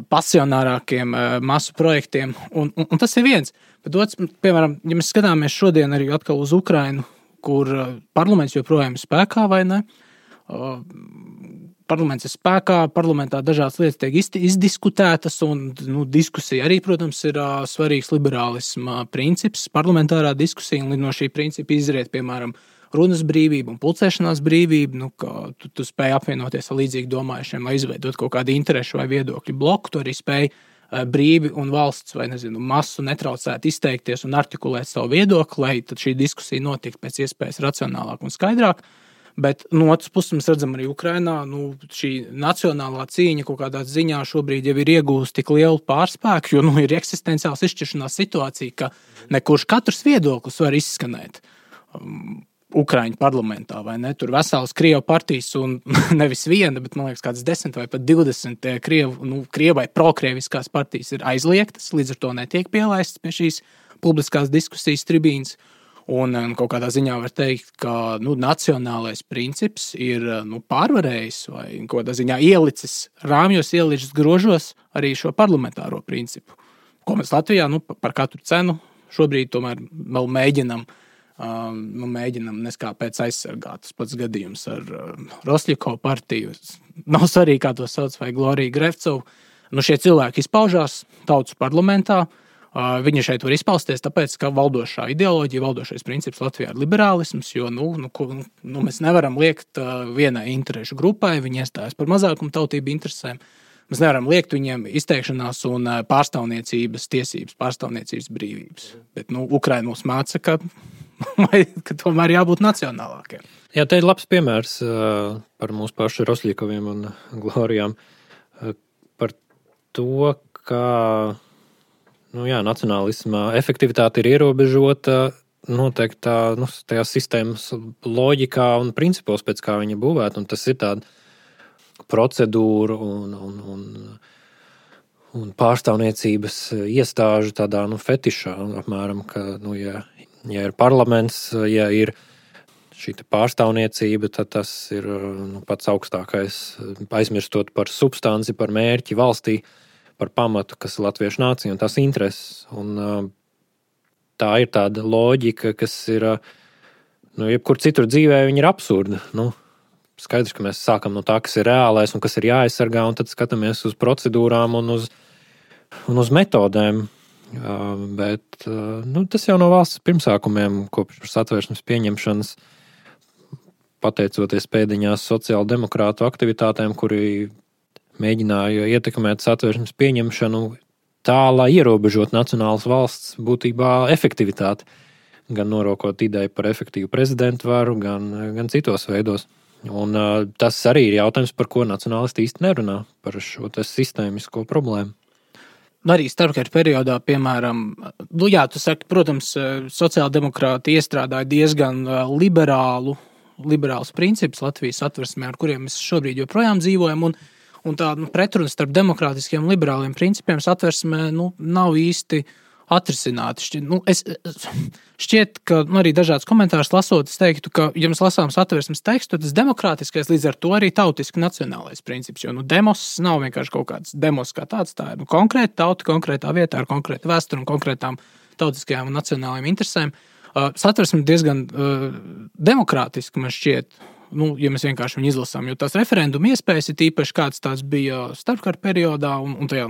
pasionārākiem masu projektiem, un tas ir viens. Bet otrs, piemēram, ja mēs skatāmies šodien arī atkal uz Ukrainu, kur parlaments joprojām ir spēkā, vai ne? Parlaments ir spēkā, parlamentā dažādas lietas tiek izdiskutētas, un diskusija arī, protams, ir svarīgs liberālisma princips, parlamentārā diskusija, un no šī principa izriet, piemēram, runas brīvība un pulcēšanās brīvība, ka tu spēj apvienoties ar līdzīgi domājušiem, lai izveidot kaut kādu interešu vai viedokļu bloku, tu arī spēj brīvi un valsts vai, masu netraucēt izteikties un artikulēt savu viedokli, lai tad šī diskusija notiktu pēc iespējas racionālāk un skaidrāk. Bet no otras puses mēs redzam arī Ukrainā, šī nacionālā cīņa kaut kādā ziņā šobrīd jau ir iegūst tik lielu pārspēku, jo ir eksistenciāls izšķiršanās situācija, ka nekurš katrs viedoklis var izskanēt Ukraiņu parlamentā, vai ne? Tur veselas Krievu partijas un nevis viena, bet, man liekas, kāds 10 vai pat 20 Krievai prokrieviskās partijas ir aizliegtas, līdz ar to netiek pielaistas pie šīs publiskās diskusijas tribīnas. Un kaut kādā ziņā var teikt, ka nacionālais princips ir pārvarējis vai kaut kādā ziņā ielicis rāmjos, ielicis grožos arī šo parlamentāro principu, ko mēs Latvijā par katru cenu šobrīd tomēr vēl mēģinam neskāpēc aizsargāt. Tas pats gadījums ar Rosļikovu partiju. Nav svarīgi, kā to sauc, vai Gloriju Grevcovu. Šie cilvēki izpaužās tautas parlamentā. Viņi šeit var izpausties, tāpēc, ka valdošā ideoloģija, valdošais princips Latvijā ir liberālisms, jo mēs nevaram liekt vienai interešu grupai, viņi iestājas par mazākumu tautību interesēm. Mēs nevaram liekt viņiem izteikšanās un pārstāvniecības tiesības, pārstāvniecības brīvības. Bet Ukraina mums māca, ka tomēr jābūt nacionālākiem. Jā, te ir labs piemērs par mūsu pašu Rosļikoviem un Glorijām. Par to, ka nacionālisma efektivitāte ir ierobežota noteiktā tajā sistēmas loģikā un principos, pēc kā viņa būvēta. Un tas ir tāda procedūra un pārstāvniecības iestāžu tādā fetišā, apmēram, ka, ja ir parlaments, ja ir šī pārstāvniecība, tad tas ir pats augstākais, aizmirstot par substanci, par mērķi valstī, par pamatu, kas ir latviešu nācija un tās intereses. Un tā ir tāda loģika, kas ir, jebkur citur dzīvē viņa ir absurda. Skaidrs, ka mēs sākam no tā, kas ir reālais un kas ir jāaizsargā, un tad skatāmies uz procedūrām un uz metodēm. Bet tas jau no valsts pirmsākumiem, kopš Satversmes pieņemšanas, pateicoties pēdiņās sociāldemokrātu aktivitātēm, kuri mēģināja ietekmēt Satversmes pieņemšanu tā, lai ierobežot nacionālas valsts būtībā efektivitāti, gan norokot ideju par efektīvu prezidentu varu, gan citos veidos. Un tas arī ir jautājums, par ko nacionālisti īsti nerunā, par šo sistēmisko problēmu. Arī starpkara periodā, piemēram, tu saki, protams, sociāldemokrāti iestrādāja diezgan liberāls princips Latvijas Satversmē, ar kuriem mēs šobrīd joprojām dzīvojam, un tā pretruna starp demokrātiskiem un liberāliem principiem Satversmē nav īsti atrisināti. Šķiet, ka arī dažādas komentārus lasot, es teiktu, ka, ja mēs lasām Satversmes tekstu, tas demokrātiskais līdz ar to arī tautiski nacionālais princips, jo demos nav vienkārši kaut kāds demos kā tāds, tā ir konkrēta tauta, konkrētā vietā ar konkrētu vēsturi un konkrētām tautiskajām un nacionālajām interesēm. Satversme diezgan demokrātiski man šķiet, ja mēs vienkārši viņu izlasām, jo tās referenduma iespējas ir tīpaši kāds tās bija starpkara periodā un tajā,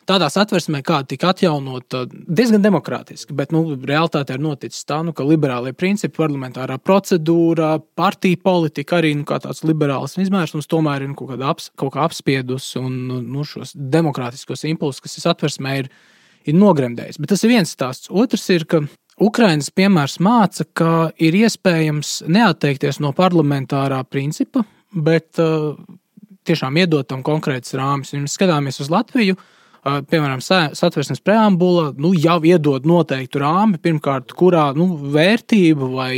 tādā satversmē, kāda tika atjaunota, diezgan demokrātiski, bet realitāte ir noticis tā, ka liberālie principi, parlamentārā procedūra, partija politika arī kā tāds liberāls izmērsums tomēr ir kaut kā apspiedus un šos demokrātiskos impulsus, kas ir satversmē, ir nogremdējis. Bet tas ir viens stāsts. Otrs ir, ka Ukrainas piemērs māca, ka ir iespējams neatteikties no parlamentārā principa, bet tiešām iedot tam konkrētas rāmis. Ja mēs skatāmies uz Latviju, piemēram, satversmes preambula, jau iedod noteiktu rāmi, pirmkārt, kurā vērtību vai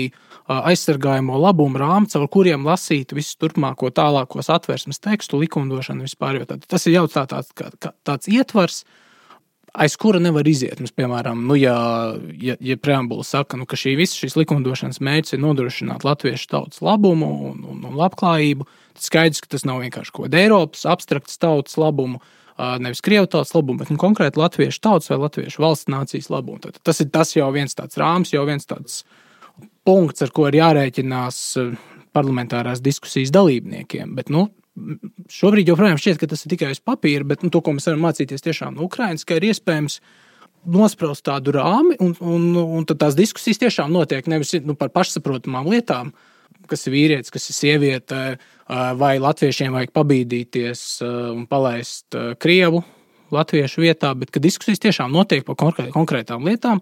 aizsargājamo labumu rāmi, caur kuriem lasīt visu turpmāko tālāko satversmes tekstu, likumdošanu vispār. Tas ir jau tāds ietvars, aiz kura nevar iziet. Mums, piemēram, ja preambula saka, ka šīs likumdošanas mērķis ir nodrošināt latviešu tautas labumu un labklājību, tad skaidrs, ka tas nav vienkārši kaut kāda Eiropas abstrakts tautas labumu, nevis Krievu tautas labumu, bet konkrēti latviešu tautas vai latviešu valsts nācijas labumu. Tad tas ir jau viens tāds rāms, jau viens tāds punkts, ar ko ir jārēķinās parlamentārās diskusijas dalībniekiem. Bet, šobrīd joprojām šķiet, ka tas ir tikai uz papīra, bet to, ko mēs varam mācīties tiešām no Ukrainas, ka ir iespējams nospraust tādu rāmi, un tad tās diskusijas tiešām notiek nevis par pašsaprotamām lietām, kas ir vīrietis, kas ir sieviete, vai latviešiem vajag pabīdīties un palaist Krievu latviešu vietā, bet ka diskusijas tiešām notiek par konkrētām lietām,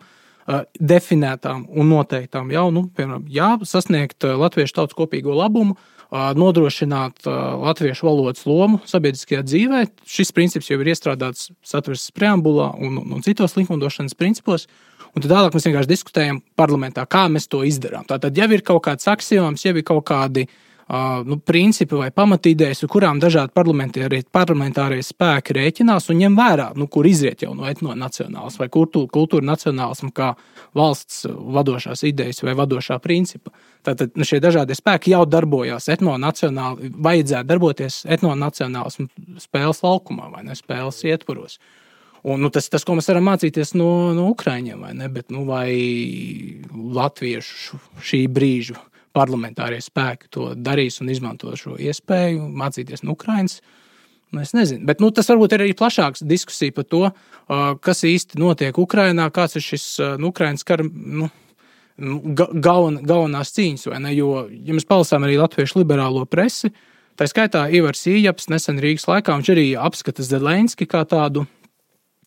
definētām un noteiktām jau, piemēram, sasniegt latviešu tautas kopīgo labumu, nodrošināt latviešu valodas lomu sabiedriskajā dzīvē. Šis princips jau ir iestrādāts satversmes preambulā un citos likumdošanas principos. Un tad tālāk mēs vienkārši diskutējam parlamentā, kā mēs to izdarām. Tātad jau ir kaut kāds aksioms, jau ir kaut kādi principi vai pamatīdējas, ar kurām dažādi parlamentārie spēki rēķinās un ņem vērā, kur izriet jau no etnonacionālisma vai kultūra nacionālisma kā valsts vadošās idejas vai vadošā principa. Tātad šie dažādie spēki jau darbojās vajadzētu darboties etnonacionālisma spēles laukumā vai ne spēles ietvaros. Un tas, ko mēs varam mācīties no Ukraiņiem, vai ne? Bet vai latviešu šī brīža parlamentārie spēki to darīs un izmanto šo iespēju mācīties no Ukrainas? Es nezinu. Bet tas varbūt ir arī plašāks diskusija par to, kas īsti notiek Ukrainā, kāds ir šis Ukrainas kara galvenās cīņas, vai ne? Jo, ja mēs palasām arī latviešu liberālo presi, tā skaitā Ivars Ījaps nesen Rīgas laikā, viņš arī apskata Zelenski kā tādu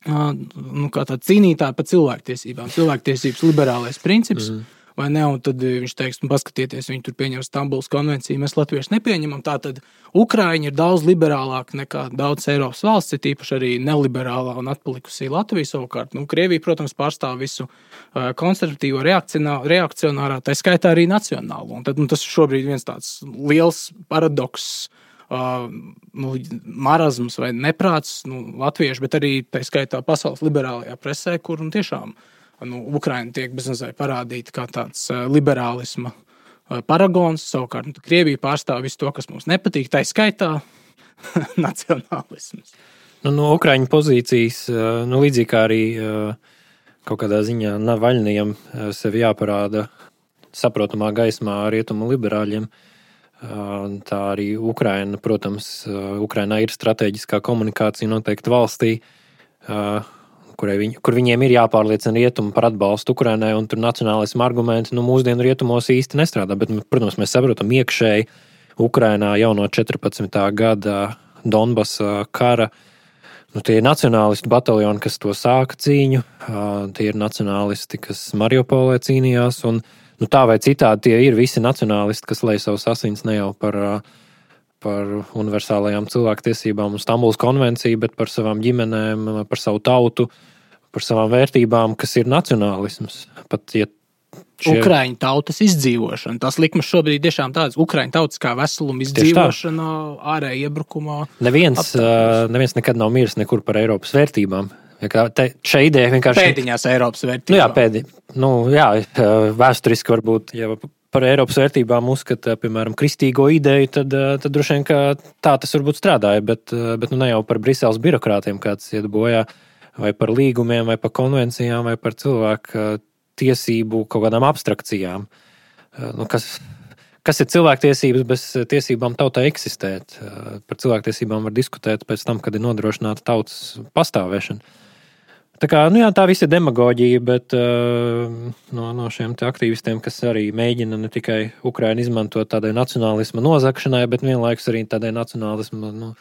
cīnītāju par cilvēktiesībām. Cilvēktiesības liberālais princips, vai ne? Un tad viņš teiks, paskatieties, viņi tur pieņem Stambulas konvenciju, mēs latvieši nepieņemam. Tātad Ukraiņi ir daudz liberālāki nekā daudz Eiropas valsts, ir tīpaši arī neliberālā un atpalikusī Latvija savukārt. Krievija, protams, pārstāv visu konservatīvo reakcionārā, tā skaitā arī nacionālo. Un tad tas ir šobrīd viens tāds liels paradoks, marazms vai neprāts latviešu, bet arī tā skaitā pasaules liberālajā presē, kur tiešām Ukraina tiek bezmazliet parādīta kā tāds liberālisma paragons, savukārt Krievija pārstāv visu to, kas mums nepatīk, tā skaitā nacionālisms. No Ukraiņu pozīcijas, līdzīgi kā arī kaut kādā ziņā Navaļnijam sevi jāparāda saprotamā gaismā rietumu liberāļiem, tā arī Ukraina, protams, Ukrainā ir strateģiskā komunikācija noteikti valstī, kur viņiem ir jāpārliecina rietumi par atbalstu Ukrainai, un tur nacionālisma argumenti mūsdienu rietumos īsti nestrādā, bet, protams, mēs saprotam iekšēji Ukrainā jau no 14. gada Donbasa kara. Tie ir nacionālistu bataljoni, kas to sāka cīņu, tie ir nacionālisti, kas Mariupolē cīnījās, un tā vai citādi tie ir visi nacionālisti, kas lej savus asins ne jau par universālajām cilvēktiesībām un Stambulas konvenciju, bet par savām ģimenēm, par savu tautu, par savām vērtībām, kas ir nacionālisms. Ukraiņu tautas izdzīvošana. Tās likmes šobrīd tiešām tādas. Ukraiņu tautas kā veseluma izdzīvošana, ārēja iebrukumā. Neviens nekad nav miris nekur par Eiropas vērtībām. Šī ideja vienkārši... Pēdiņās Eiropas vērtībām. Vēsturiski varbūt, ja par Eiropas vērtībām uzskata, piemēram, kristīgo ideju, tad droši vien, ka tā tas varbūt strādāja, bet ne jau par Briseles birokrātiem kāds iet bojā. vai par līgumiem, vai par konvencijām, vai par cilvēku tiesību kaut kādām abstrakcijām. Kas ir cilvēktiesības bez tiesībām tautai eksistēt? Par cilvēktiesībām var diskutēt pēc tam, kad ir nodrošināta tautas pastāvēšana. Tā kā, tā viss ir demagoģija, bet no šiem te aktīvistiem, kas arī mēģina ne tikai Ukrainu izmantot tādai nacionālisma nozagšanai, bet vienlaikus arī tādai nacionālisma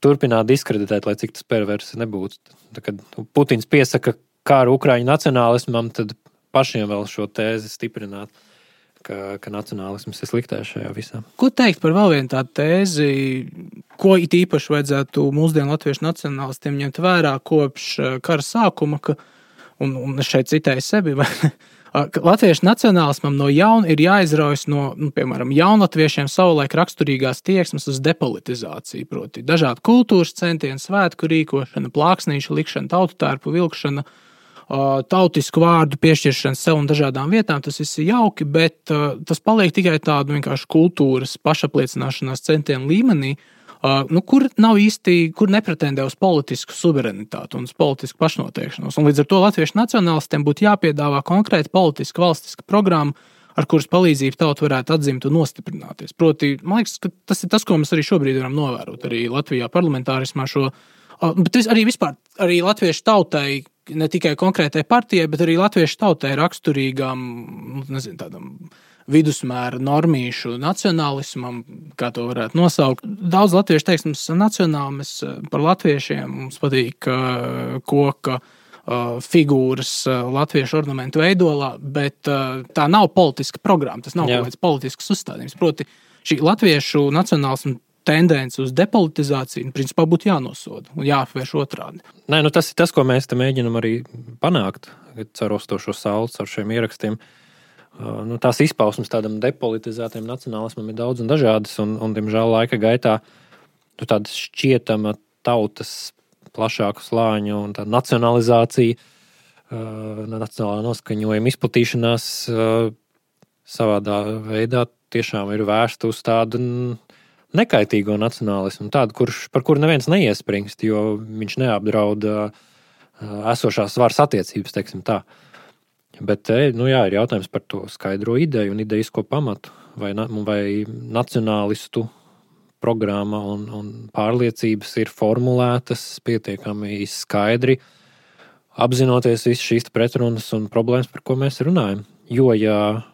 turpināt diskreditēt, lai cik tas perversi nebūtu. Tā, kad Putins piesaka kāru Ukraiņu nacionālismam, tad pašiem vēl šo tēzi stiprināt, ka nacionālisms ir sliktais šajā visā. Ko teikt par vēl vienu tādu tēzi, ko it īpaši vajadzētu mūsdienu latviešu nacionālistiem ņemt vērā kopš kara sākuma, un es šeit citēju sevi, ka latviešu nacionālismam no jauna ir jāizraujas no, piemēram, jaunlatviešiem savulaik raksturīgās tieksmes uz depolitizāciju, proti dažādu kultūras centienu, svētku rīkošana, plāksnīšu likšana, tautu tērpu vilkšana, tautisku vārdu piešķiršana sev un dažādām vietām, tas viss ir jauki, bet tas paliek tikai tādu vienkārši kultūras pašapliecināšanās centienu līmenī, kur nav īsti, kur nepretendē uz politisku suverenitāti un uz politisku pašnoteikšanos. Un līdz ar to latviešu nacionālistiem būtu jāpiedāvā konkrēta politiska valstiska programma, ar kuras palīdzību tauta varētu atzimt un nostiprināties. Proti, man liekas, ka tas ir tas, ko mēs arī šobrīd varam novērot arī Latvijā parlamentārismā šo, bet arī vispār arī latviešu tautai, ne tikai konkrētai partijai, bet arī latviešu tautai raksturīgām, tādam vidusmēra normīšu nacionālismam, kā to varētu nosaukt. Daudz latviešu teiks, mums nacionāli, mēs par latviešiem, mums patīk koka figūras latviešu ornamentu veidolā, bet tā nav politiska programma, tas nav kaut kāds politisks uzstādījums. Proti, šī latviešu nacionālismu tendence uz depolitizāciju, principā būtu jānosoda un jāapvērš otrādi. Nē, tas ir tas, ko mēs te mēģinam arī panākt, caur Ostošo sauli, caur šiem ierakstiem. Tās izpausmes tādam depolitizētiem nacionālismam ir daudz un dažādas, un diemžēl laika gaitā tāda šķietama tautas plašāku slāņu un tā nacionalizācija, nacionālā noskaņojuma izplatīšanās savādā veidā tiešām ir vērsta uz tādu nekaitīgo nacionālismu, tādu, par kuru neviens neiespringst, jo viņš neapdraud esošās varas attiecības, teiksim tā. Bet ir jautājums par to skaidro ideju un ideisko pamatu, vai nacionālistu programma un pārliecības ir formulētas pietiekami skaidri, apzinoties visas šīs pretrunas un problēmas, par ko mēs runājam. Jo, ja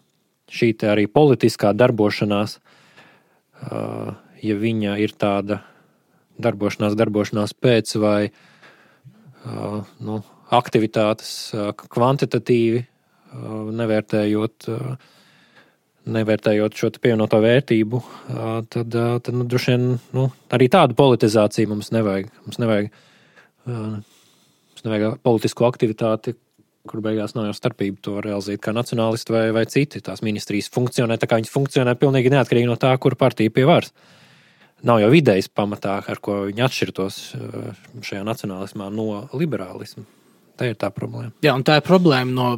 šī te arī politiskā darbošanās, ja viņa ir tāda darbošanās pēc vai aktivitātes kvantitatīvi, nevērtējot šo pievienoto vērtību, tad droši vien arī tādu politizāciju mums nevajag. Mums nevajag politisko aktivitāti, kur beigās nav jau starpība to realizēt kā nacionālisti vai citi. Tās ministrijas funkcionē tā, kā viņas funkcionē pilnīgi neatkarīgi no tā, kur partija pie varas. Nav jau idejas pamatā, ar ko viņi atšķirtos šajā nacionālismā no liberālisma. Tā ir tā problēma. Jā, un tā ir problēma no,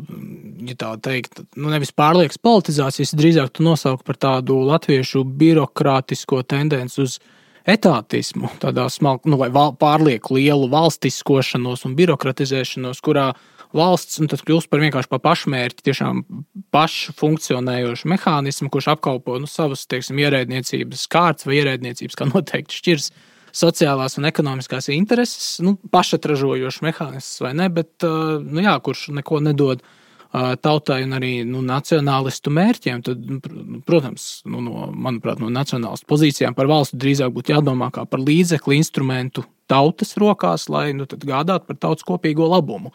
ja tā teikt, nevis pārliekas politizācijas, drīzāk tu nosauki par tādu latviešu birokrātisko tendenci uz etātismu, tādā vai pārlieku lielu valstiskošanos un birokratizēšanos, kurā valsts tad kļūst par vienkārši par pašmērķi, tiešām pašu funkcionējošu mehānismu, kurš apkalpo savas, ierēdniecības kārtas vai ierēdniecības, kā noteikti šķirs sociālās un ekonomiskās intereses, pašatražojošs mehānisms vai ne, bet, kurš neko nedod tautai un arī nacionālistu mērķiem, tad, protams, manuprāt, no nacionālistu pozīcijām par valstu drīzāk būtu jādomā kā par līdzekli, instrumentu tautas rokās, lai tad gādātu par tautas kopīgo labumu.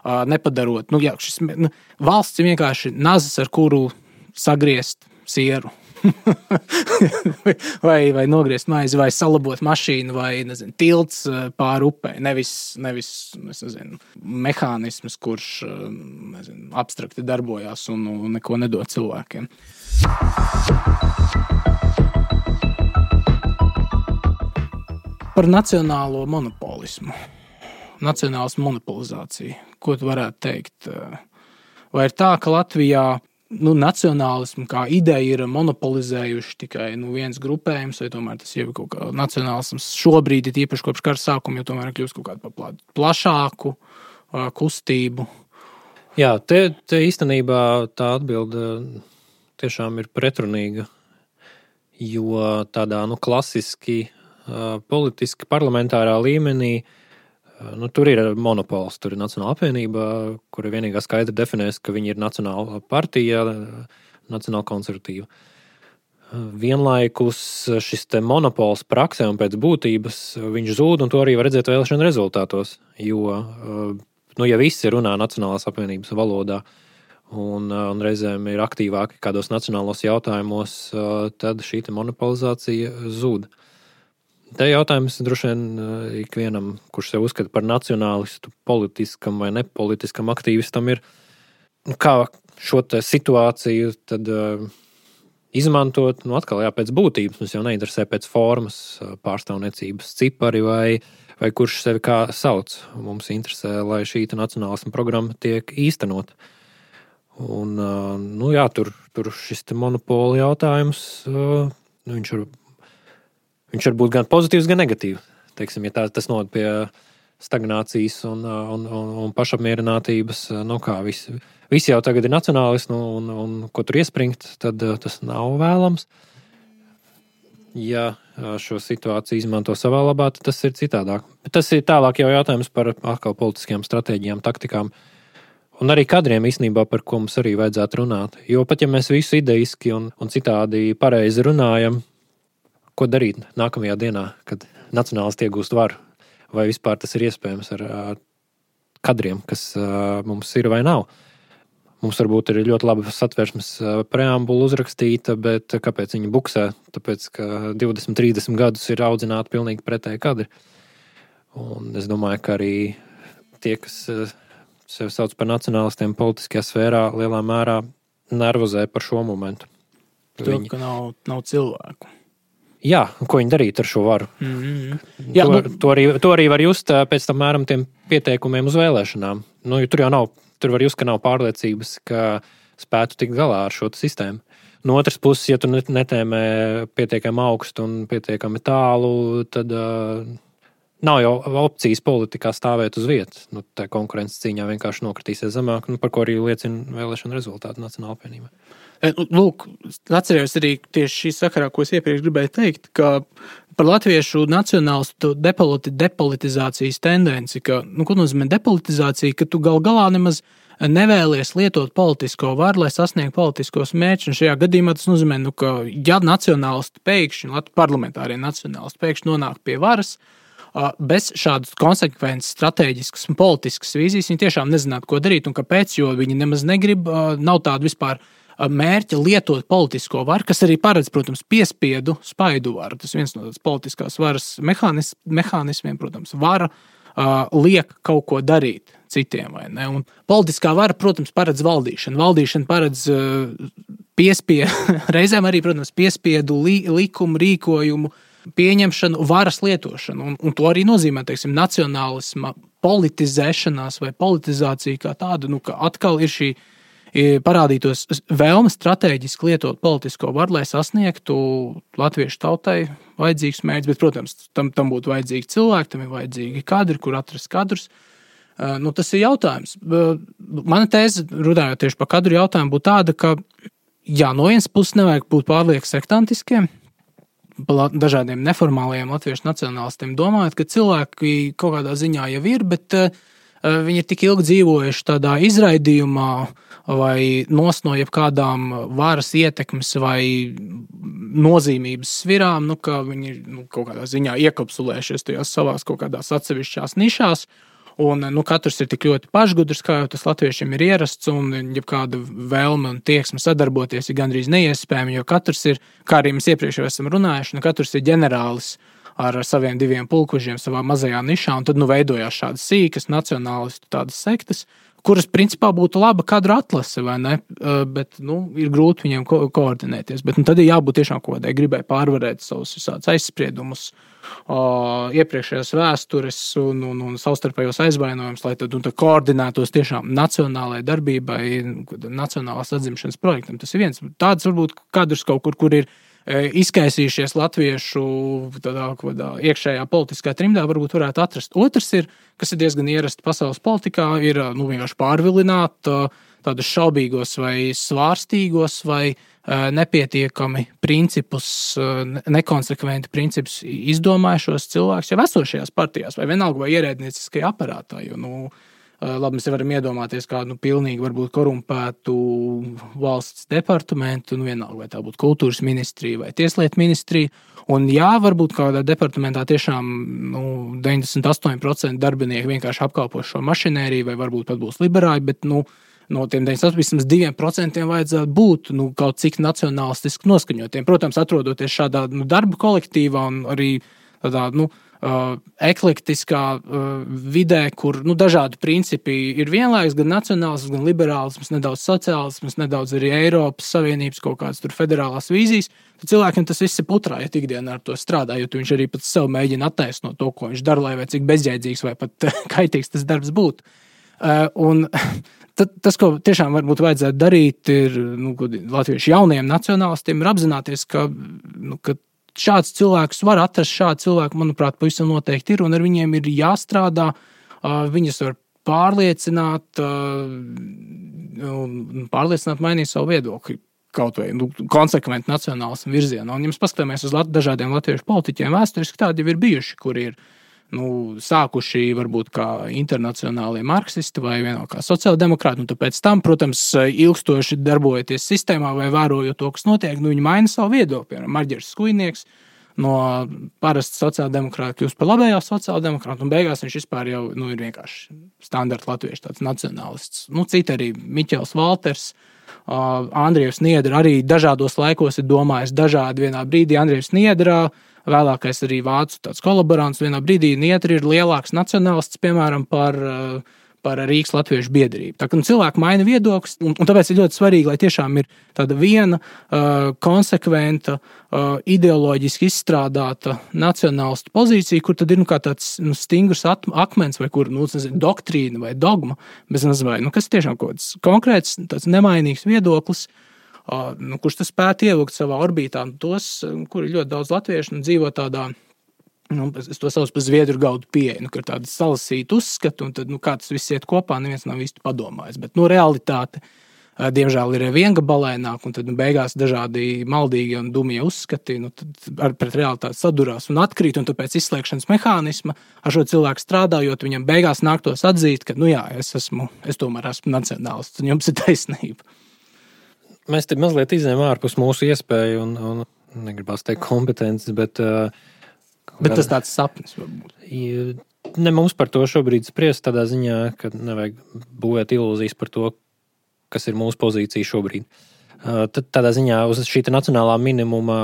Nepadarot, valsts ir vienkārši nazas, ar kuru sagriezt sieru. vai nogriezt maizi, vai salabot mašīnu, vai, tilts pāri upē. Nevis mehānisms, kurš, abstrakti darbojās un neko nedod cilvēkiem. Par nacionālo monopolismu. Nacionālas monopolizācija. Ko tu varētu teikt? Vai ir tā, ka Latvijā nacionālismu kā ideja ir monopolizējuši tikai viens grupējums, vai tomēr tas jau ir kaut kā nacionālisms šobrīd, ir īpaši kopš kara sākuma, jo tomēr kļūst kaut kādu plašāku kustību. Jā, te īstenībā tā atbilde tiešām ir pretrunīga, jo tādā klasiski politiski parlamentārā līmenī tur ir monopols, tur ir Nacionāla apvienība, kura vienīgā skaidri definēs, ka viņi ir nacionāla partija, nacionāla konservatīva. Vienlaikus šis te monopols praksē un pēc būtības viņš zūd, un to arī var redzēt vēlēšanu rezultātos, jo, ja visi runā Nacionālās apvienības valodā un reizēm ir aktīvāki kādos nacionālos jautājumos, tad šī te monopolizācija zūd. Te jautājums droši vien ikvienam, kurš sev uzskata par nacionālistu, politiskam vai nepolitiskam aktīvistam, ir, kā šo te situāciju tad izmantot, atkal pēc būtības, mums jau neinteresē pēc formas, pārstāvniecības cipari vai kurš sevi kā sauc. Mums interesē, lai šī nacionālisma programma tiek īstenot. Un, tur šis te monopola jautājums, viņš var būt gan pozitīvs, gan negatīvs. Teiksim, ja tas noved pie stagnācijas un pašapmierinātības, visi jau tagad ir nacionālisti, un ko tur iespringt, tad tas nav vēlams. Ja šo situāciju izmanto savā labā, tad tas ir citādāk. Bet tas ir tālāk jau jautājums par atkal politiskajām stratēģijām, taktikām. Un arī kadriem īstenībā, par ko mums arī vajadzētu runāt. Jo pat ja mēs visu ideiski un citādi pareizi runājam, ko darīt nākamajā dienā, kad nacionālisti iegūst varu? Vai vispār tas ir iespējams ar kadriem, kas mums ir vai nav? Mums varbūt ir ļoti laba satversmes preambula uzrakstīta, bet kāpēc viņi buksē? Tāpēc, ka 20-30 gadus ir audzināti pilnīgi pretēji kadri. Un es domāju, ka arī tie, kas sevi sauc par nacionālistiem politiskajā sfērā, lielā mērā nervozē par šo momentu. Ka nav cilvēku. Jā, ko viņi darīt ar šo varu? Mm-hmm. Jā, to arī var just pēc tam mēram tiem pieteikumiem uz vēlēšanām. Tur var just, ka nav pārliecības, ka spētu tikt galā ar šo sistēmu. No otras puses, ja tu netēmē pietiekami augstu un pietiekami tālu, tad nav jau opcijas politikā stāvēt uz vietas. Tā konkurences cīņā vienkārši nokritīsies zemāk, par ko arī liecina vēlēšana rezultāti Nacionāla apvienībā. Lūk, atcerējos arī tieši šī sakarā, ko es iepriekš gribēju teikt, ka par latviešu nacionālistu depolitizācijas tendenci, ka, ko nozīmē depolitizācija, ka tu galā nemaz nevēlies lietot politisko varu, lai sasniegtu politiskos mērķus. Un šajā gadījumā tas nozīmē, ka ja nacionālisti pēkšņi, parlamentārie nacionālisti pēkšņi nonāk pie varas, bez šādas konsekvences, strateģiskas un politiskas vīzijas, viņi tiešām nezinātu, ko darīt un kāpēc, jo viņi nemaz negrib, nav tādu vispār mērķa lietot politisko varu, kas arī paredz, protams, piespiedu spaidu varu. Tas viens no tādas politiskās varas mehānismiem, protams, vara liek kaut ko darīt citiem, vai ne? Un politiskā vara, protams, paredz valdīšanu. Valdīšana paredz reizēm arī, protams, piespiedu likumu, rīkojumu, pieņemšanu, varas lietošanu. Un to arī nozīmē, teiksim, nacionālisma politizēšanās vai politizācija kā tāda, ka atkal ir šī parādītos vēlme strateģiski lietot politisko varu, lai sasniegtu latviešu tautai vajadzīgs mērķis, bet, protams, tam būtu vajadzīgi cilvēki, tam ir vajadzīgi kadri, kur atrast kadrus. Tas ir jautājums. Mana tēze, runājot tieši par kadru jautājumu, būtu tāda, ka, no vienas puses nevajag būt pārlieku sektantiskiem, dažādiem neformālajiem latviešu nacionālistiem domājot, ka cilvēki kaut kādā ziņā jau ir, bet viņi ir tik ilgi dzīvojuši tādā izraidījumā vai no jebkādām varas ietekmes vai nozīmības svirām, ka viņi ir kaut kādā ziņā iekapsulējušies tajās savās kaut kādās atsevišķās nišās. Un katrs ir tik ļoti pašgudrs, kā jau tas latviešiem ir ierasts, un jebkāda vēlme un tieksme sadarboties ir gandrīz neiespējama, jo katrs ir, kā arī mēs iepriekš jau esam runājuši, katrs ir ģenerālis ar saviem 2 pulkvežiem savā mazajā nišā, un tad veidojās šādas sīkas nacionālistu tādas sektas, kuras principā būtu laba kadra atlase, vai ne? Bet, ir grūti viņiem koordinēties. Bet tad ir jābūt tiešām kaut kādai gribai pārvarēt savus visādus aizspriedumus, iepriekšējās vēstures un savstarpējos aizvainojumus, lai tad koordinētos tiešām nacionālajai darbībai, nacionālās atzimšanas projektam. Tas ir viens. Tāds varbūt kadrs kaut kur ir izkaisījušies latviešu tādā iekšējā politiskā trimdā, varbūt varētu atrast. Otrs ir, kas ir diezgan ierasti pasaules politikā, ir vienkārši pārvilināt tādus šaubīgos vai svārstīgos vai nepietiekami principus, nekonsekventi principus izdomājušos cilvēkus jau esošajās partijās vai vienalga vai ierēdnieciskajā aparātā, jo, labi, mēs varam iedomāties kādu pilnīgi varbūt korumpētu valsts departamentu, vienalga, vai tā būtu kultūras ministrija vai tieslietu ministrija. Un jā, varbūt kādā departamentā tiešām 98% darbinieki vienkārši apkalpo šo mašinēriju, vai varbūt pat būs liberāļi, bet no tiem 2% vajadzētu būt kaut cik nacionālistiski noskaņotiem. Protams, atrodoties šādā darba kolektīvā un arī tādā, eklektiskā vidē, kur dažādi principi ir vienlaikus, gan nacionālisms, gan liberālisms, nedaudz sociālisms, nedaudz arī Eiropas Savienības kaut kādas tur federālās vīzijas, tad cilvēkiem tas viss ir putrā, ja ikdienā ar to strādā, jo viņš arī pats sev mēģina attaisnot to, ko viņš dara, lai vai cik bezjēdzīgs vai pat kaitīgs tas darbs būtu. Un tas, ko tiešām varbūt vajadzētu darīt, ir latviešu jauniem nacionālistiem, ir apzināties, ka šāds cilvēks var atrast, šādi cilvēki, manuprāt, pavisam noteikti ir, un ar viņiem ir jāstrādā, viņus var pārliecināt mainīt savu viedokli kaut vai konsekventi nacionālismu virzienā. Un, ja mēs paskatāmies uz dažādiem latviešu politiķiem vēsturiski, tādi jau ir bijuši, kuri ir sākuši varbūt kā internacionālie marksisti vai vienalga kā sociāldemokrāti, un tāpēc tam, protams, ilgstoši darbojoties sistēmā vai vērojot to, kas notiek, viņi maina savu viedokli. Piemēram, Marģers Skujnieks no parasta sociāldemokrāta kļūst par labējo sociāldemokrātu, un beigās viņš vispār jau ir vienkārši standarta latviešu tāds nacionālists. Citi arī Miķels Valters, Andrievs Niedra arī dažādos laikos ir domājis dažādi vienā brīdī. Andrievs Niedrā vēlākais arī vācu tāds kolaborants. Vienā brīdī Niedri ir lielāks nacionālists, piemēram, par Rīgas latviešu biedrību. Tā kā cilvēki maina viedokļus, un tāpēc ir ļoti svarīgi, lai tiešām ir tāda viena konsekventa, ideoloģiski izstrādāta nacionālistu pozīcija, kur tad ir kā tāds stingrs akmens vai kur doktrīna vai dogma, bez nezinu, kas tiešām kaut kāds konkrēts, tāds nemainīgs viedoklis, kurš tas spētu ievilkt savā orbītā, tos, kur ir ļoti daudz latviešu un dzīvo tādā, es to saucu par zviedru gaudu pieeju, ka ir tāda salasīta uzskata, un tad, kā tas viss iet kopā, neviens nav īsti padomājis. Bet, realitāte, diemžēl, ir viengabalaināk, un tad, beigās dažādi maldīgi un dumie uzskati, tad pret realitāti sadurās un atkrīt, un tāpēc izslēgšanas mehānisma ar šo cilvēku strādājot, viņam beigās nāktos atzīt, ka, es tomēr esmu nacionālists, un jums ir taisnība. Mēs te mazliet izējām ārpus mūsu iespēju un negribās teikt kompetences, bet tas tāds sapnis varbūt. Ne mums par to šobrīd spriest tādā ziņā, ka nevajag būvēt ilūzijas par to, kas ir mūsu pozīcija šobrīd. Tad tādā ziņā uz šī nacionālā minimuma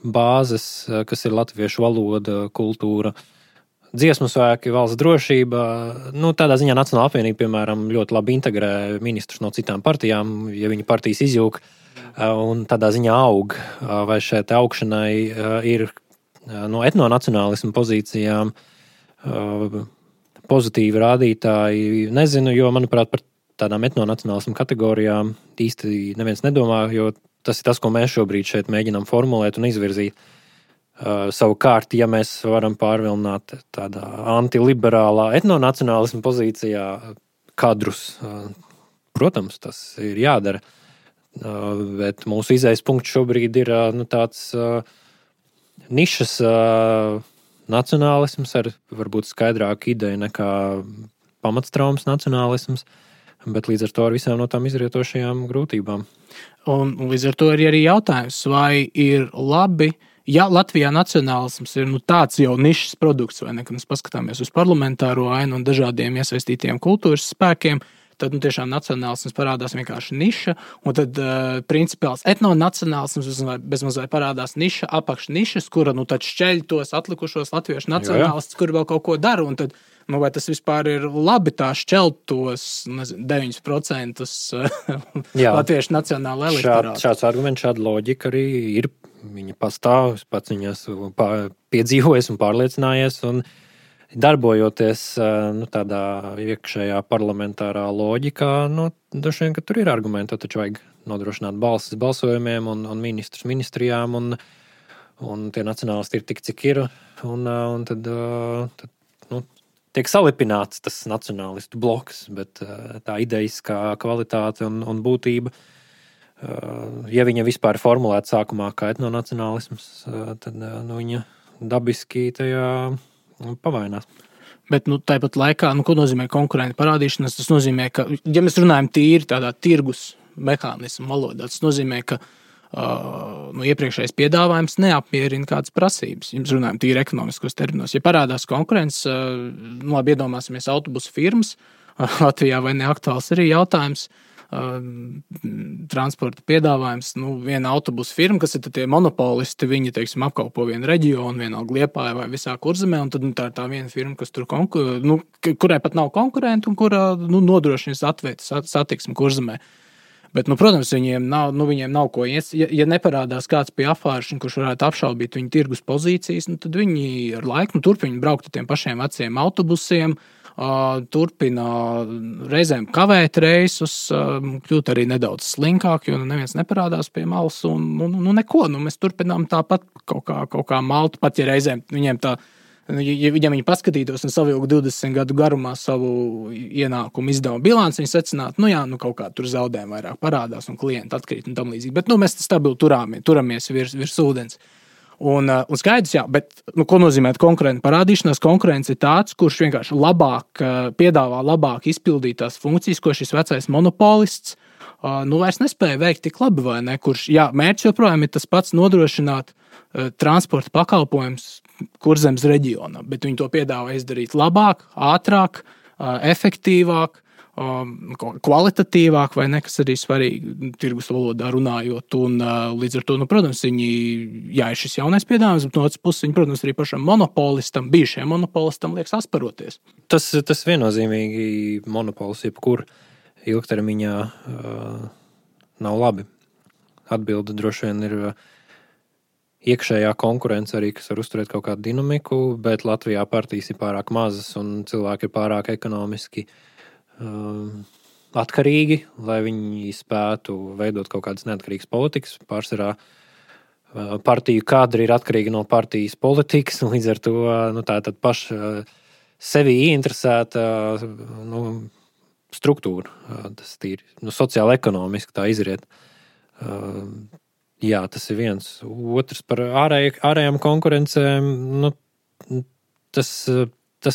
bāzes, kas ir latviešu valoda, kultūra, dziesmu svēki, valsts drošība, tādā ziņā Nacionālā apvienība, piemēram, ļoti labi integrē ministrus no citām partijām, ja viņa partijas izjūg, un tādā ziņā aug, vai šeit augšanai ir no etnonacionālismu pozīcijām pozitīvi rādītāji. Nezinu, jo, manuprāt, par tādām etnonacionālismu kategorijām īsti neviens nedomā, jo tas ir tas, ko mēs šobrīd šeit mēģinām formulēt un izvirzīt. Savukārt, ja mēs varam pārvilināt tādā antiliberālā etnonacionālismu pozīcijā kadrus, protams, tas ir jādara. Bet mūsu izējas punkts šobrīd ir tāds nišas nacionālisms ar varbūt skaidrāku ideju nekā pamatstraumas nacionālisms, bet līdz ar to ar visām no tām izrietošajām grūtībām. Un līdz ar to ir arī jautājums, vai ir labi, ja Latvijā nacionālisms ir tāds jau nišas produkts, vai ne, kad mēs paskatāmies uz parlamentāro ainu un dažādiem iesaistītiem kultūras spēkiem, tad tiešām nacionālisms parādās vienkārši niša, un tad principiāls etnonacionālisms bezmazliet parādās niša, apakšnišas, kura tad šķeļ tos atlikušos latviešu nacionālistus, kuri vēl kaut ko dara, un tad vai tas vispār ir labi tā šķelt tos 9% latviešu nacionāla elektorāta? Šāds arguments, šāda loģika arī ir. Viņa pastāv, pats viņas piedzīvojas un pārliecinājies, un darbojoties tādā iekšējā parlamentārā loģikā, droši vien, ka tur ir argumenti, taču vajag nodrošināt balsis balsojumiem un ministrus ministrijām, un tie nacionālisti ir tik, cik ir, un tad tiek salipināts tas nacionālistu bloks, bet tā idejiskā kvalitāte un būtība, ja viņa vispār formulēta sākumā kā etnonacionālisms, tad viņa dabiski tajā pavainās. Bet tāpat laikā, ko nozīmē konkurenta parādīšanās? Tas nozīmē, ka, ja mēs runājam tīri tādā tirgus mehānismu valodā, tas nozīmē, ka iepriekšējais piedāvājums neapmierina kādas prasības. Ja mēs runājam tīri ekonomiskos terminos. Ja parādās konkurence, labi iedomāsimies autobusu firmas, Latvijā vai neaktuāls arī jautājums, transporta piedāvājums, viena autobusu firma, kas ir tie monopolisti, viņi, apkalpo vienu reģionu, vienalga Liepājā vai visā Kurzemē, un tad tā ir tā viena firma, kas tur kurai pat nav konkurenti un kura nodrošina satiksmi Kurzemē. Bet, protams, viņiem nav ko ies. Ja neparādās kāds pie apvāršana, kurš varētu apšaubīt viņu tirgus pozīcijas, tad viņi ar laiku turpina braukt ar tiem pašiem veciem autobusiem, turpina reizēm kavēt reisus, kļūt arī nedaudz slinkāk, jo neviens neparādās pie malas un neko. Mēs turpinām tāpat kaut kā malt, pat ja reizēm viņiem tā, ja viņi paskatītos un savilku 20 gadu garumā savu ienākumu izdevumu bilanci, viņi secinātu, kaut kā tur zaudējumi vairāk parādās un klienti atkrīt un tam līdzīgi. Bet mēs stabili turamies virs ūdens. Un skaidrs, jā, bet ko nozīmē konkurenta parādīšanās? Konkurence ir tāds, kurš vienkārši piedāvā labāk izpildīt tās funkcijas, ko šis vecais monopolists vairs nespēja veikt tik labi, vai ne? Kurš, mērķis joprojām ir tas pats nodrošināt transporta pakalpojums Kurzemes reģionā, bet viņi to piedāvā izdarīt labāk, ātrāk, efektīvāk, kvalitatīvāk, vai ne, kas arī svarīgi tirgus valodā runājot, un līdz ar to, protams, viņi, ir šis jaunais piedāvājums, bet no otras puses viņi, protams, arī pašam monopolistam, bijušajam monopolistam liekas asparoties. Tas viennozīmīgi monopols, jebkur ilgtermiņā nav labi. Atbilde droši vien ir iekšējā konkurence arī, kas var uzturēt kaut kādu dinamiku, bet Latvijā partijas ir pārāk mazas un cilvēki ir pārāk ekonomiski atkarīgi, lai viņi spētu veidot kaut kādas neatkarīgas politikas. Pārsvarā partiju kadri ir atkarīgi no partijas politikas, un līdz ar to tā ir paša sevi ieinteresēta struktūra. Tas ir sociāli ekonomiski tā izriet. Jā, tas ir viens. Otrs par ārējām konkurencēm. Tas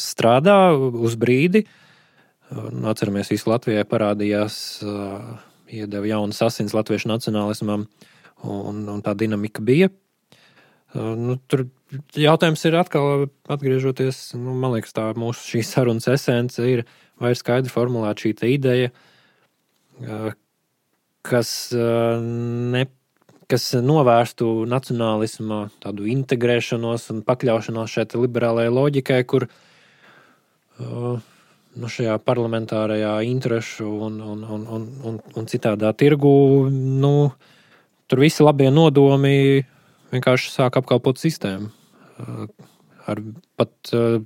strādā uz brīdi. Atceramies, visu Latvijai parādījās, iedeva jaunas asins latviešu nacionālismam, un tā dinamika bija. Tur jautājums ir atkal atgriežoties, man liekas, tā mūsu šīs sarunas esence ir, vai ir skaidri formulēta šī ideja, kas novērstu nacionālisma tādu integrēšanos un pakļaušanos šai liberālajai loģikai, kur šajā parlamentārajā interešu un citādā tirgu, tur visi labie nodomi vienkārši sāk apkalpot sistēmu. Ar pat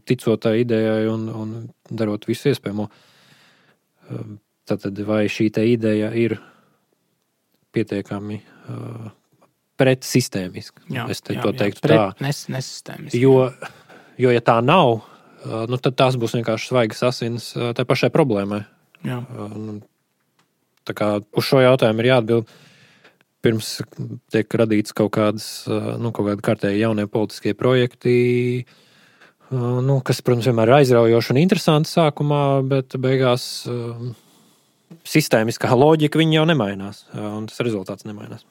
ticotai idejai un darot visu iespējamo. Tātad vai šī te ideja ir pietiekami pretsistēmiska? Es to teiktu tā. Nesistēmiska. Jo ja tā nav, tad tās būs vienkārši svaigas asins tai pašai problēmai. Jā. Tā kā uz šo jautājumu ir jāatbild pirms tiek radīts kaut kādi kārtēji jaunie politiskie projekti, kas, protams, vienmēr ir aizraujoši un interesanti sākumā, bet beigās sistēmiskā loģika viņa jau nemainās, un tas rezultāts nemainās.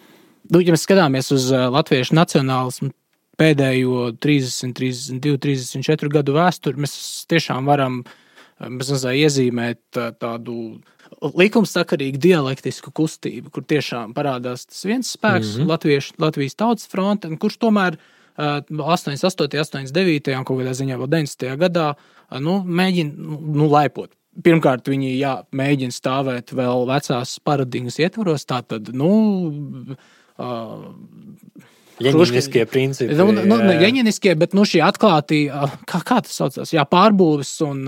Ja mēs skatāmies uz latviešu nacionālismu pēdējo 30, 32, 34 gadu vēsturi, mēs tiešām varam iezīmēt tādu likumsakarīgu dialektisku kustību, kur tiešām parādās tas viens spēks, Latvijas tautas fronte, kurš tomēr 88, 89 un kaut kādā ziņā vēl 90. gadā mēģina laipot. Pirmkārt, viņi mēģina stāvēt vēl vecās paradigmas ietvaros, tātad, Jeņiniskie principi. Jeņiniskie, bet šī atklātī, kā tas saucās, pārbūves un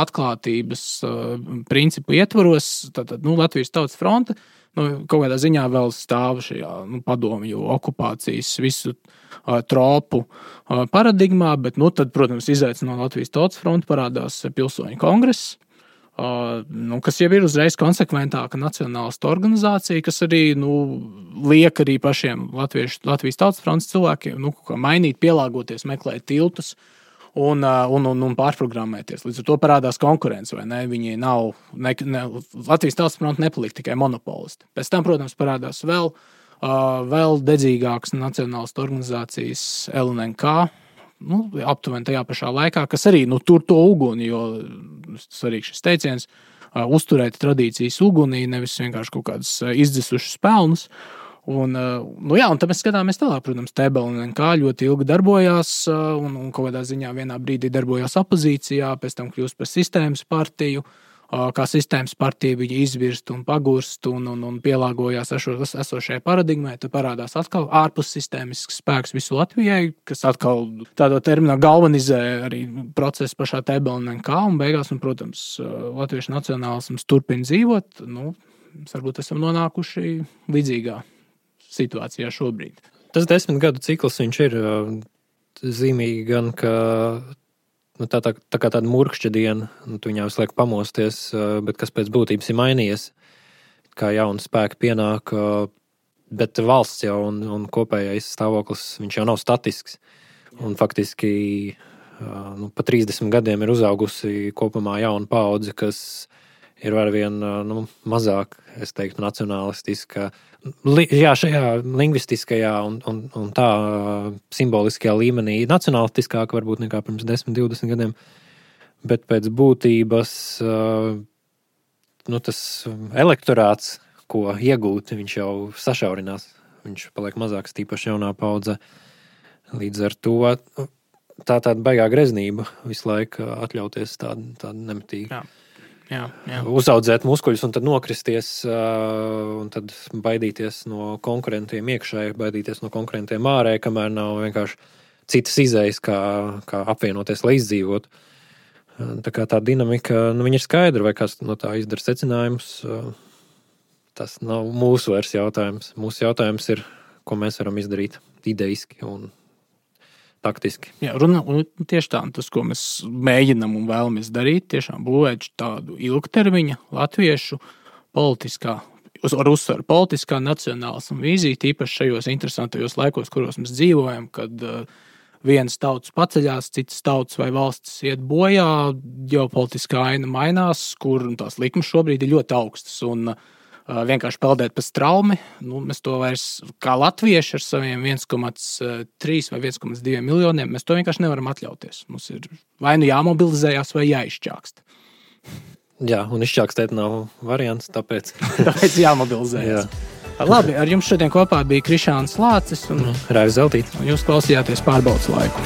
atklātības principu ietvaros, tātad, Latvijas tautas fronte, kaut kādā ziņā vēl stāv šajā padomju okupācijas visu tropu paradigmā, bet, tad, protams, izaicinot Latvijas tautas fronti parādās pilsoņu kongress, kas jau ir uzreiz konsekventāka nacionālistu organizācija, kas arī liek arī pašiem Latvijas tautas frontes cilvēkiem mainīt, pielāgoties, meklēt tiltus un pārprogrammēties. Līdz ar to parādās konkurence, vai ne? Viņi nav, Latvijas tautas fronte nepalika tikai monopolisti. Pēc tam, protams, parādās vēl dedzīgākas nacionālistu organizācijas LNK, aptuveni tajā pašā laikā, kas arī tur to uguni, jo svarīgs šis teiciens, uzturēt tradīcijas ugunī, nevis vienkārši kaut kādas izdzisušas pelnus. Un tad mēs skatāmies tālāk, protams, TBLNK ļoti ilgi darbojās un kaut kādā ziņā vienā brīdī darbojās opozīcijā, pēc tam kļūst par sistēmas partiju, kā sistēmas partija viņa izvirst un pagurst un pielāgojās esošajai paradigmai, tad parādās atkal ārpus sistēmisks spēks visu Latvijai, kas atkal tādā terminā galvanizē arī procesu pašā TBLNK un beigās, un, protams, latviešu nacionālisms turpina dzīvot, varbūt esam nonākuši līdzīgā situācijā šobrīd. Tas 10 gadu cikls, viņš ir zīmīgi gan, ka tā kā tāda murkšķa diena, tu viņā visu laiku pamosties, bet kas pēc būtības ir mainījies, kā jauni spēki pienāk, bet valsts jau un kopējais stāvoklis, viņš jau nav statisks. Un faktiski pa 30 gadiem ir uzaugusi kopumā jauna paudze, kas ir arvien mazāk, es teiktu, nacionalistiska. Šajā lingvistiskajā un tā simboliskajā līmenī nacionalistiskāk varbūt nekā pirms 10-20 gadiem, bet pēc būtības tas elektorāts, ko iegūt, viņš jau sašaurinās. Viņš paliek mazāks, tīpaši jaunā paudze. Līdz ar to tāda baigā greznība visu laiku atļauties tādu nemitīgi. Jā. Uzaudzēt muskuļus un tad nokristies un tad baidīties no konkurentiem iekšēji, baidīties no konkurentiem ārēji, kamēr nav vienkārši citas izejas, kā apvienoties, lai izdzīvotu. Tā kā tā dinamika, viņa ir skaidra, vai kāds no tā izdara secinājumus. Tas nav mūsu vairs jautājums. Mūsu jautājums ir, ko mēs varam izdarīt ideiski un taktiski. Jā, un tieši tā, tas, ko mēs mēģinam un vēlamies darīt, tiešām būvēt tādu ilgtermiņa latviešu politiskā, ar uzsvaru politiskā nacionālisma vīzija, tīpaši šajos interesantajos laikos, kuros mēs dzīvojam, kad vienas tautas paceļās, citas tautas vai valstis iet bojā, ģeopolitiskā aina mainās, kur tās likmes šobrīd ir ļoti augstas un vienkārši peldēt pa straumi. Mēs to vairs kā latvieši ar saviem 1,3 vai 1,2 miljoniem, mēs to vienkārši nevaram atļauties. Mums ir vai jāmobilizējās, vai jāizšķākst. Jā, un izšķākstēt nav variants, tāpēc jāmobilizējās. Jā. Labi, ar jums šodien kopā bija Krišāns Lācis un Raivis Zeltīts. Un jūs klausījāties Pārbaudas laiku.